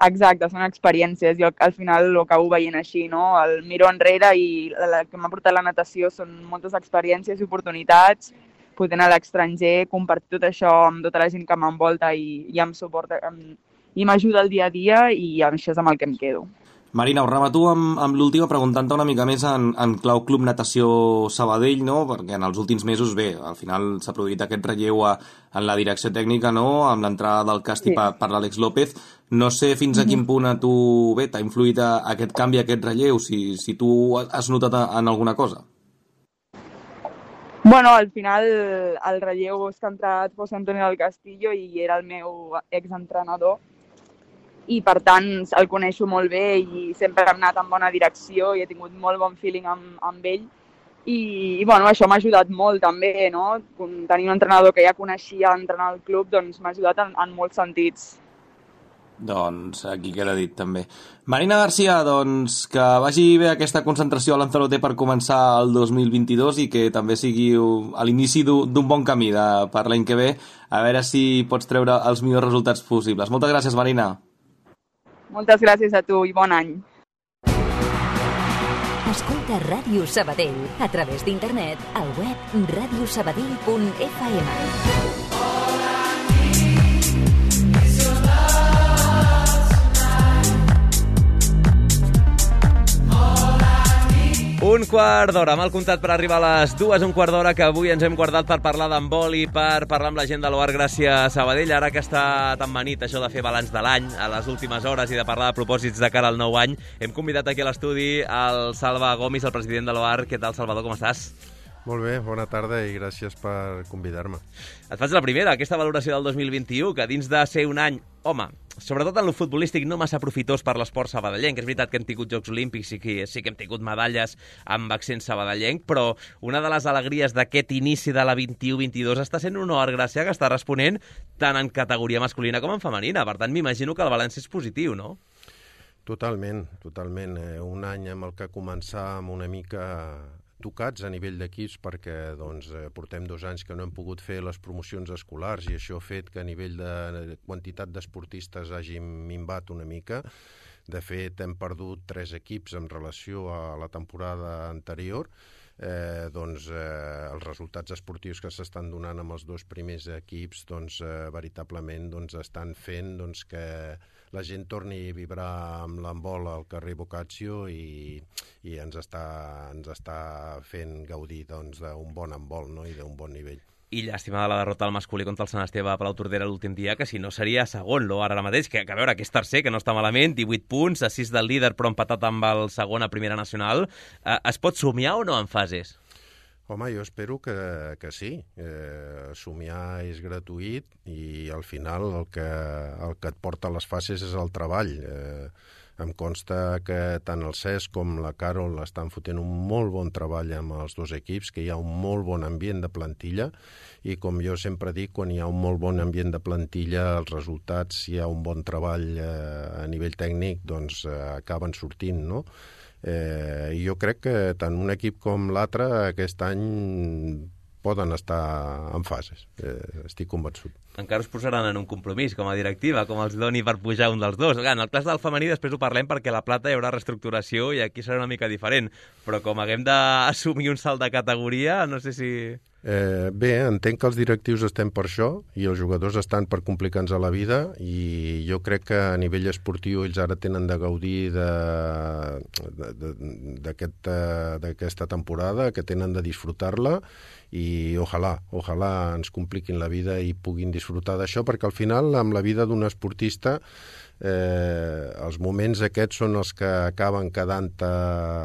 Exacte, són experiències. Jo al final ho acabo veient així, no? El miro enrere i el que m'ha portat la natació són moltes experiències i oportunitats, poder anar a l'estranger, compartir tot això amb tota la gent que m'envolta i, i em suporta, em, i m'ajuda el dia a dia, i això és amb el que em quedo. Marina, ho remato amb, amb l'última preguntant-te una mica més en, en clau Club Natació Sabadell, no? Perquè en els últims mesos, bé, al final s'ha produït aquest relleu a, en la direcció tècnica, no?, amb l'entrada del Casti sí. per, per l'Àlex López. No sé fins a quin punt a tu, bé, t'ha influït a, a aquest canvi, a aquest relleu, si, si tu has notat a, en alguna cosa. Bueno, al final el relleu és que ha entrat José Antonio del Castillo i era el meu exentrenador, i per tant el coneixo molt bé i sempre hem anat en bona direcció i he tingut molt bon feeling amb, amb ell, i, i bueno, això m'ha ajudat molt també, no? Tenir un entrenador que ja coneixia entrenar al club, doncs m'ha ajudat en, en molts sentits. Doncs aquí queda dit també. Marina Garcia, doncs que vagi bé aquesta concentració a Lanzarote per començar el dos mil vint-i-dos i que també sigui a l'inici d'un bon camí de, per l'any que ve, a veure si pots treure els millors resultats possibles. Moltes gràcies, Marina. Moltes gràcies a tu i bon any. Escolta Ràdio Sabadell a través d'internet al web radio sabadell punt f m. Un quart d'hora, mal comptat per arribar a les dues, un quart d'hora que avui ens hem guardat per parlar d'handbol i per parlar amb la gent de l'O A R Gràcia Sabadell, ara que està tan manit això de fer balanç de l'any a les últimes hores i de parlar de propòsits de cara al nou any. Hem convidat aquí a l'estudi el Salva Gomis, el president de l'O A R. Què tal, Salvador, com estàs? Molt bé, bona tarda i gràcies per convidar-me. Et faig la primera, aquesta valoració del dos mil vint-i-u, que dins de ser un any, home, sobretot en lo futbolístic, no massa profitós per l'esport sabadellenc. És veritat que hem tingut Jocs Olímpics i que sí que hem tingut medalles amb accent sabadellenc, però una de les alegries d'aquest inici de la vint-i-u vint-i-dos està sent un O A R Gràcia que està responent tant en categoria masculina com en femenina. Per tant, m'imagino que el balanç és positiu, no? Totalment, totalment. Un any amb el que començàvem una mica tocats a nivell d'equips perquè doncs, portem dos anys que no hem pogut fer les promocions escolars i això ha fet que a nivell de quantitat d'esportistes hagi minvat una mica. De fet, hem perdut tres equips en relació a la temporada anterior. Eh, doncs, eh, els resultats esportius que s'estan donant amb els dos primers equips doncs, eh, veritablement doncs, estan fent doncs, que la gent torni a vibrar amb l'handbol al carrer Boccaccio i, i ens, està, ens està fent gaudir doncs, d'un bon handbol, no? I d'un bon nivell. I llàstima de la derrota del masculí contra el Sant Esteve a Palau Tordera l'últim dia, que si no seria segon l'O A R ara mateix, que, que a veure, que és tercer, que no està malament, divuit punts, a sis del líder, però empatat amb el segon a Primera Nacional. Eh, es pot somiar o no en fases? Home, jo espero que, que sí. Eh, somiar és gratuït i al final el que, el que et porta a les fases és el treball. Eh, Em consta que tant el Cesc com la Carol estan fotent un molt bon treball amb els dos equips, que hi ha un molt bon ambient de plantilla, i com jo sempre dic, quan hi ha un molt bon ambient de plantilla, els resultats, si hi ha un bon treball eh, a nivell tècnic, doncs eh, acaben sortint, no? Eh, jo crec que tant un equip com l'altre aquest any poden estar en fases, eh, estic convençut. Encara us posaran en un compromís com a directiva, com els doni per pujar un dels dos. En el cas del femení després ho parlem perquè a la plata hi haurà reestructuració i aquí serà una mica diferent, però com haguem d'assumir un salt de categoria, no sé si... Eh, bé, entenc que els directius estem per això i els jugadors estan per complicar-nos a la vida, i jo crec que a nivell esportiu ells ara tenen de gaudir d'aquesta temporada, que tenen de disfrutar-la, i ojalà, ojalà ens compliquin la vida i puguin disfrutar d'això, perquè al final amb la vida d'un esportista eh, els moments aquests són els que acaben quedant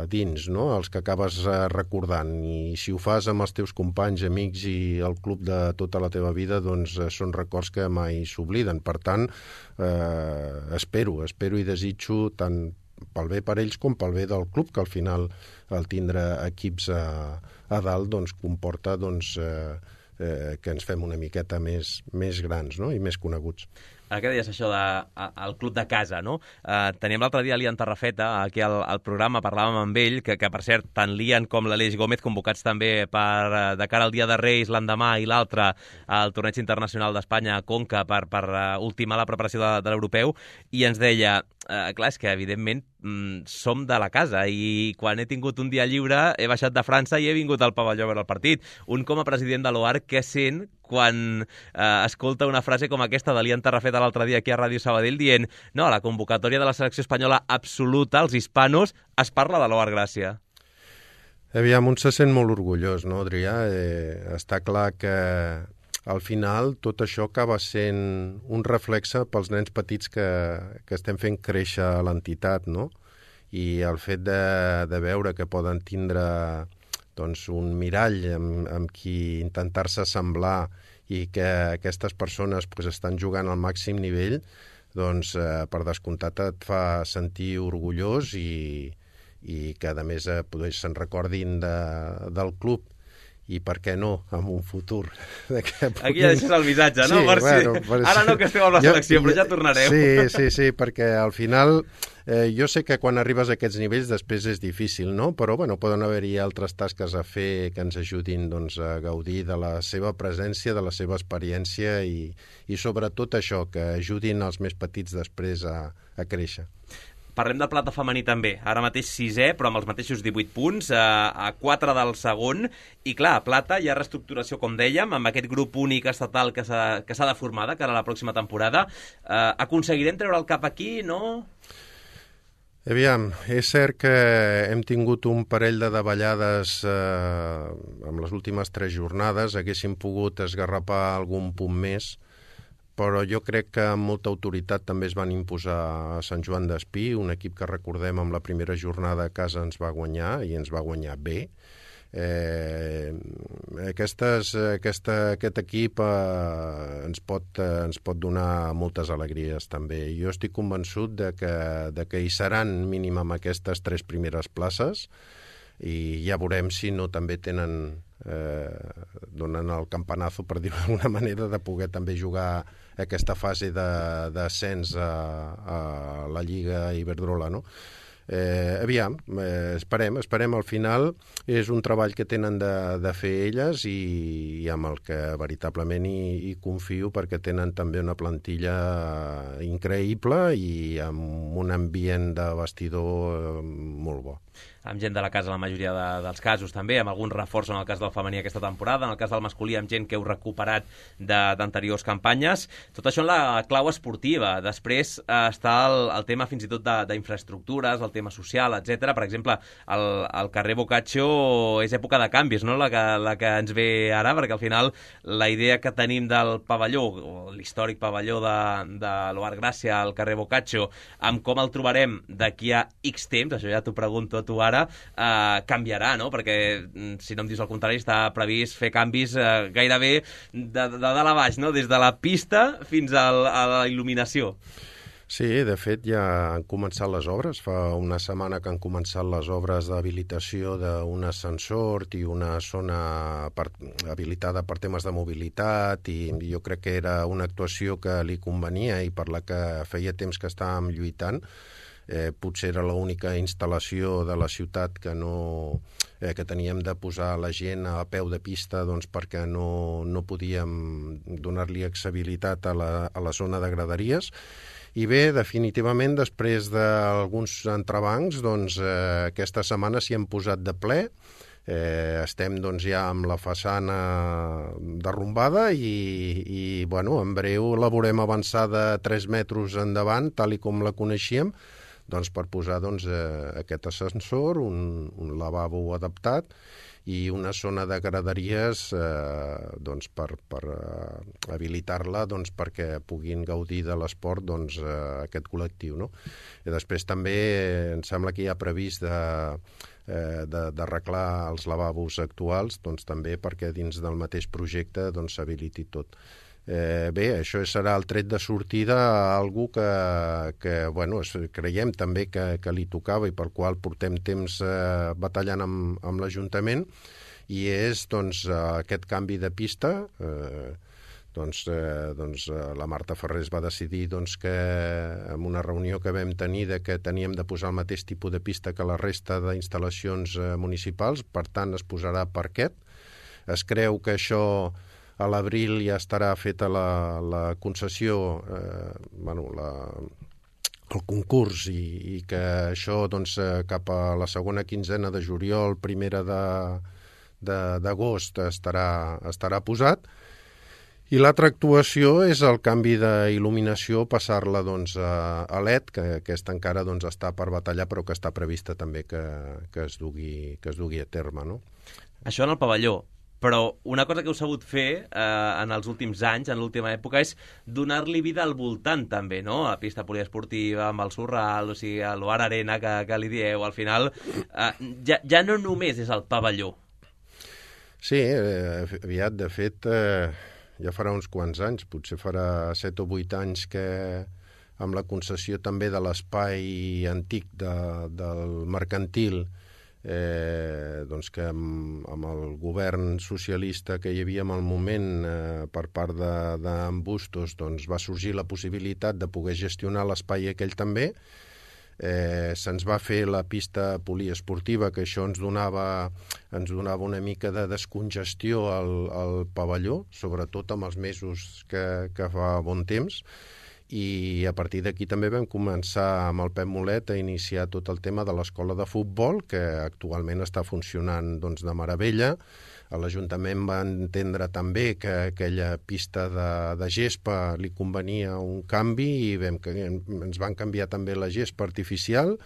dins, no? Els que acabes recordant, i si ho fas amb els teus companys, amics i el club de tota la teva vida, doncs són records que mai s'obliden. Per tant, eh, espero, espero i desitjo tant pel bé per ells com pel bé del club, que al final el tindre equips a, a dalt doncs, comporta doncs, eh, eh, que ens fem una miqueta més, més grans, no? I més coneguts. Ara que deies això del club de casa, no? Eh, teníem l'altre dia l'Ian Tarrafeta aquí al, al programa, parlàvem amb ell, que, que per cert, tant l'Ian com l'Aleix Gómez convocats també per, de cara al Dia de Reis l'endemà i l'altre al Torneig Internacional d'Espanya a Conca per, per uh, ultimar la preparació de, de l'europeu, i ens deia, eh, clar, és que evidentment mm, som de la casa i quan he tingut un dia lliure he baixat de França i he vingut al pavelló a veure el partit. Un com a president de l'O A R, què sent quan eh, escolta una frase com aquesta de l'Ian Tarrafeta l'altre dia aquí a Ràdio Sabadell dient no, a la convocatòria de la selecció espanyola absoluta, els hispanos, es parla de l'O A R Gràcia? Aviam, un se sent molt orgullós, no, Adrià? Eh, està clar que al final tot això acaba sent un reflexe pels nens petits que, que estem fent créixer l'entitat, no? I el fet de, de veure que poden tindre doncs, un mirall amb, amb qui intentar-se assemblar i que aquestes persones pues, estan jugant al màxim nivell, doncs eh, per descomptat et fa sentir orgullós i, i que a més eh, se'n recordin de, del club. I per què no, en un futur. Aquí ja deixes el missatge, no? Sí, per bueno, si... per Ara si... no que esteu amb la selecció, jo, però ja tornareu. Sí, sí, sí, perquè al final eh, jo sé que quan arribes a aquests nivells després és difícil, no? Però bueno, poden haver-hi altres tasques a fer que ens ajudin doncs, a gaudir de la seva presència, de la seva experiència i, i sobretot això, que ajudin els més petits després a, a créixer. Parlem del plata femení també, ara mateix sisè, però amb els mateixos divuit punts, a, a quatre del segon, i clar, a plata hi ha reestructuració, com dèiem, amb aquest grup únic estatal que s'ha de formar de cara a la pròxima temporada. Eh, aconseguirem treure el cap aquí, no? Aviam, és cert que hem tingut un parell de davallades eh, amb les últimes tres jornades, haguéssim pogut esgarrapar algun punt més, però jo crec que amb molta autoritat també es van imposar a Sant Joan d'Espí, un equip que recordem amb la primera jornada a casa ens va guanyar, i ens va guanyar bé. Eh, aquestes, aquesta, aquest equip eh, ens, pot, eh, ens pot donar moltes alegries també. Jo estic convençut de que, de que hi seran mínim amb aquestes tres primeres places, i ja veurem si no també tenen eh, donen el campanazo, per dir-ho d'alguna manera, de poder també jugar aquesta fase d'ascens a, a la Lliga Iberdrola, no? Eh, aviam, eh, esperem, esperem al final. És un treball que tenen de, de fer elles i, i amb el que veritablement hi, hi confio, perquè tenen també una plantilla increïble i amb un ambient de vestidor molt bo. Amb gent de la casa en la majoria de, dels casos també, amb algun reforç en el cas del femení aquesta temporada, en el cas del masculí amb gent que heu recuperat d'anteriors campanyes. Tot això en la clau esportiva. Després eh, està el, el tema fins i tot d'infraestructures, el tema social, etcètera. Per exemple, el, el carrer Boccaccio és època de canvis, no? La que, la que ens ve ara, perquè al final la idea que tenim del pavelló, l'històric pavelló de, de l'O A R Gràcia al carrer Boccaccio, amb com el trobarem d'aquí a X temps, això ja t'ho pregunto a tu ara, Uh, canviarà, no? Perquè, si no em dius el contrari, està previst fer canvis uh, gairebé de, de dalt a baix, no? Des de la pista fins al, a la il·luminació. Sí, de fet ja han començat les obres. Fa una setmana que han començat les obres d'habilitació d'un ascensor i una zona per, habilitada per temes de mobilitat, i jo crec que era una actuació que li convenia i per la que feia temps que estàvem lluitant. Eh, potser era l'única instal·lació de la ciutat que no eh, que teníem de posar la gent a peu de pista, doncs, perquè no, no podíem donar-li accessibilitat a la, a la zona de graderies. I bé, definitivament, després d'alguns entrebancs, doncs, eh, aquesta setmana s'hi hem posat de ple. Eh, estem doncs, ja amb la façana derrumbada i, i bueno, en breu la veurem avançada tres metres endavant, tal i com la coneixíem, doncs, per posar doncs, eh, aquest ascensor, un, un lavabo adaptat i una zona de graderies eh, doncs, per, per eh, habilitar-la doncs, perquè puguin gaudir de l'esport doncs, eh, aquest col·lectiu. No? I després també eh, em sembla que hi ha previst de, eh, de, d'arreglar els lavabos actuals, doncs, també perquè dins del mateix projecte doncs, s'habiliti tot. Eh, bé, això serà el tret de sortida a algú que, que bueno, creiem també que, que li tocava i pel qual portem temps eh, batallant amb, amb l'Ajuntament, i és doncs, aquest canvi de pista. Eh, doncs, eh, doncs, la Marta Ferrés va decidir doncs, que en una reunió que vam tenir de que teníem de posar el mateix tipus de pista que la resta d'instal·lacions eh, municipals, per tant es posarà parquet. Es creu que això a l'abril ja estarà feta la, la concessió, eh, bueno, la, el concurs, i, i que això doncs, cap a la segona quinzena de juliol, primera d'agost, estarà, estarà posat. I l'altra actuació és el canvi d'il·luminació, passar-la doncs, a, a L E D, que aquesta encara doncs, està per batallar, però que està prevista també que, que, es, dugui, que es dugui a terme. No? Això en el pavelló. Però una cosa que heu sabut fer eh, en els últims anys, en l'última època, és donar-li vida al voltant també, no? A pista poliesportiva, amb el Surral, o sigui, a l'Oar Arena, que, que li dieu, al final, eh, ja, ja no només és el pavelló. Sí, eh, aviat, de fet, eh, ja farà uns quants anys, potser farà set o vuit anys que amb la concessió també de l'espai antic de, del mercantil, Eh, doncs que amb, amb el govern socialista que hi havia en el moment eh, per part d'en Bustos doncs va sorgir la possibilitat de poder gestionar l'espai aquell també. Eh, se'ns va fer la pista poliesportiva, que això ens donava, ens donava una mica de descongestió al, al pavelló, sobretot amb els mesos que, que fa bon temps. I a partir d'aquí també vam començar amb el Pep Mulet a iniciar tot el tema de l'escola de futbol, que actualment està funcionant doncs, de meravella. L'Ajuntament va entendre també que aquella pista de, de gespa li convenia un canvi i vam, ens van canviar també la gespa artificial,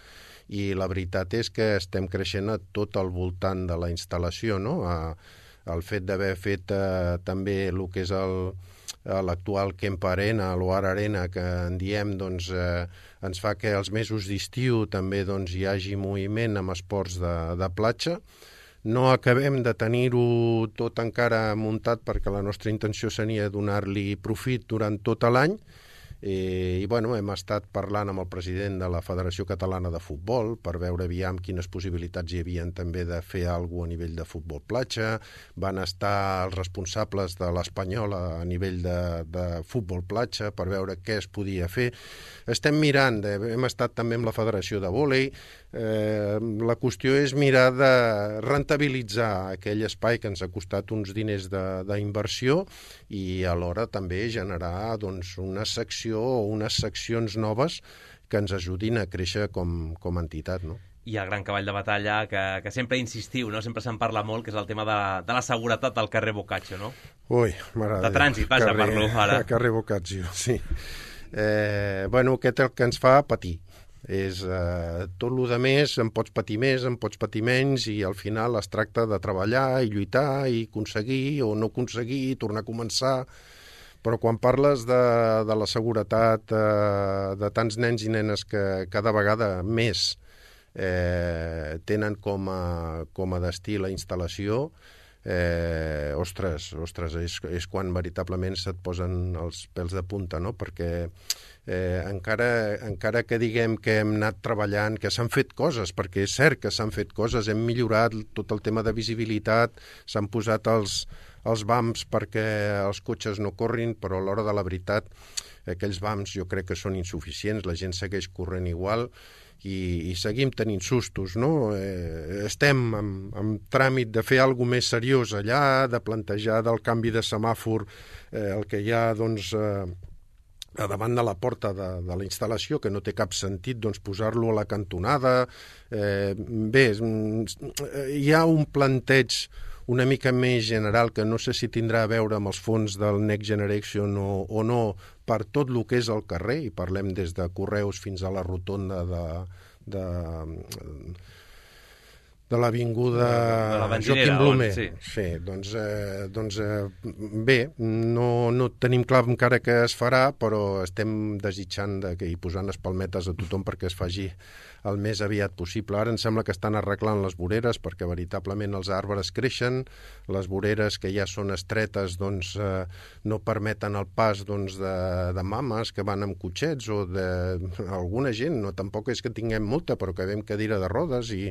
i la veritat és que estem creixent a tot el voltant de la instal·lació. No? El fet d'haver fet eh, també el que és el l'actual Kempa Arena, l'Oar Arena, que en diem, doncs, eh, ens fa que els mesos d'estiu també doncs, hi hagi moviment amb esports de, de platja. No acabem de tenir-ho tot encara muntat, perquè la nostra intenció seria donar-li profit durant tot l'any. I, i bueno, hem estat parlant amb el president de la Federació Catalana de Futbol per veure aviam quines possibilitats hi havia també de fer alguna cosa a nivell de futbol platja. Van estar els responsables de l'Espanyol a nivell de, de futbol platja per veure què es podia fer. Estem mirant, de, hem estat també amb la Federació de Vòlei. Eh, la qüestió és mirar de rentabilitzar aquell espai que ens ha costat uns diners d'inversió i alhora també generar doncs, una secció o unes seccions noves que ens ajudin a créixer com, com a entitat, no? I el gran cavall de batalla que, que sempre insistiu, no? Sempre se'n parla molt, que és el tema de, de la seguretat al carrer Boccaccio, no? Ui, m'agrada. De trànsit, vaja, carrer, parlo ara. Carrer Boccaccio, sí. Eh, bueno, aquest és el que ens fa patir. És eh, tot el que més, em pots patir més, em pots patir menys, i al final es tracta de treballar i lluitar i aconseguir o no aconseguir, tornar a començar. Però quan parles de, de la seguretat eh, de tants nens i nenes que cada vegada més eh, tenen com a, com a destí la instal·lació, eh, ostres, ostres, és, és quan veritablement se't posen els pèls de punta, no? Perquè eh, encara, encara que diguem que hem anat treballant, que s'han fet coses, perquè és cert que s'han fet coses, hem millorat tot el tema de visibilitat, s'han posat els, els bumps perquè els cotxes no corrin, però a l'hora de la veritat aquells bumps jo crec que són insuficients, la gent segueix corrent igual, i, i seguim tenint sustos, no? Eh, estem en, en tràmit de fer alguna més seriós allà, de plantejar del canvi de semàfor eh, el que hi ha, doncs, eh, a davant de la porta de, de la instal·lació, que no té cap sentit, doncs, posar-lo a la cantonada. Eh, bé, hi ha un planteig una mica més general, que no sé si tindrà a veure amb els fons del Next Generation o, o no, per tot el que és el carrer, i parlem des de Correus fins a la rotonda de, de, de l'avinguda Joaquim Blume. Sí, sí doncs, eh, doncs eh, bé, no, no tenim clar encara què es farà, però estem desitjant de que, i posant les palmetes a tothom perquè es faci el més aviat possible. Ara em sembla que estan arreglant les voreres perquè veritablement els arbres creixen, les voreres que ja són estretes doncs, eh, no permeten el pas doncs, de, de mames que van amb cotxets o d'alguna gent, no, tampoc és que tinguem molta, però que ve amb cadira de rodes i...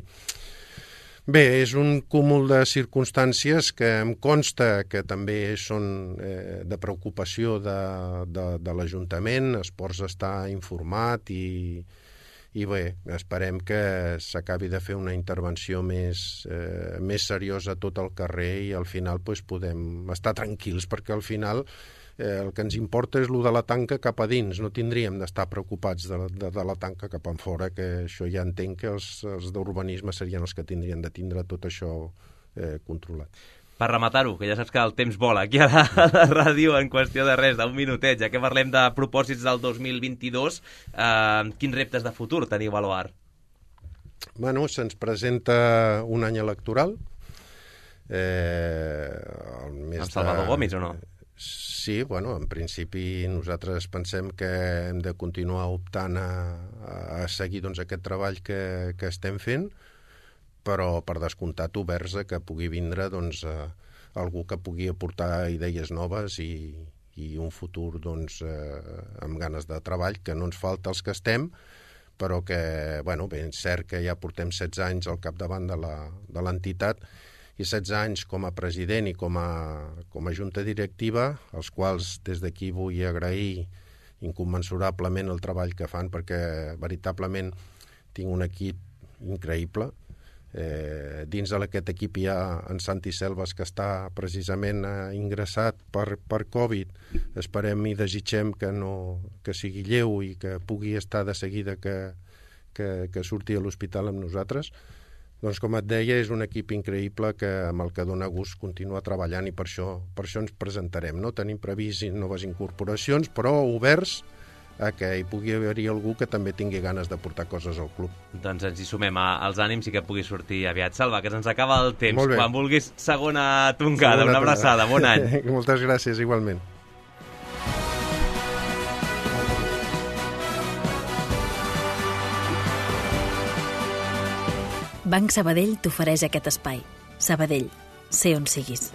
Bé, és un cúmul de circumstàncies que em consta que també són eh, de preocupació de, de, de l'Ajuntament, Esports està informat i... I bé, esperem que s'acabi de fer una intervenció més, eh, més seriosa a tot el carrer i al final pues, podem estar tranquils, perquè al final eh, el que ens importa és el de la tanca cap a dins, no tindríem d'estar preocupats de, de, de la tanca cap en fora, que això ja entenc que els, els d'urbanisme serien els que tindrien de tindre tot això eh, controlat. Per rematar-ho, que ja saps que el temps vola aquí a la, a la ràdio en qüestió de res, d'un minutet, ja que parlem de propòsits del dos mil vint-i-dos, eh, quins reptes de futur teniu a l'O A R? Bueno, se'ns presenta un any electoral. Eh, el mes amb Salvador de... Gomis o no? Sí, bueno, en principi nosaltres pensem que hem de continuar optant a, a seguir doncs, aquest treball que, que estem fent, però per descomptat oberts a que pugui vindre doncs, eh, algú que pugui aportar idees noves i, i un futur doncs, eh, amb ganes de treball, que no ens falta els que estem, però que, bueno, bé, és cert que ja portem setze anys al capdavant de l'entitat i setze anys com a president i com a, com a junta directiva, als quals des d'aquí vull agrair incommensurablement el treball que fan, perquè veritablement tinc un equip increïble. Eh, dins d'aquest equip hi ha en Santi Selves, que està precisament eh, ingressat per, per Covid. Esperem i desitgem que, no, que sigui lleu i que pugui estar de seguida que, que, que surti a l'hospital amb nosaltres. Doncs com et deia, és un equip increïble que, amb el que dona gust continuar treballant i per això, per això ens presentarem. No tenim previst noves incorporacions, però oberts a que hi pugui haver-hi algú que també tingui ganes de portar coses al club. Doncs ens hi sumem als ànims i que pugui sortir aviat. Salva, que se'ns acaba el temps. Quan vulguis, segona tongada. Segona una abraçada, bon any. Moltes gràcies, igualment. Banc Sabadell t'ofereix aquest espai. Sabadell, sé on siguis.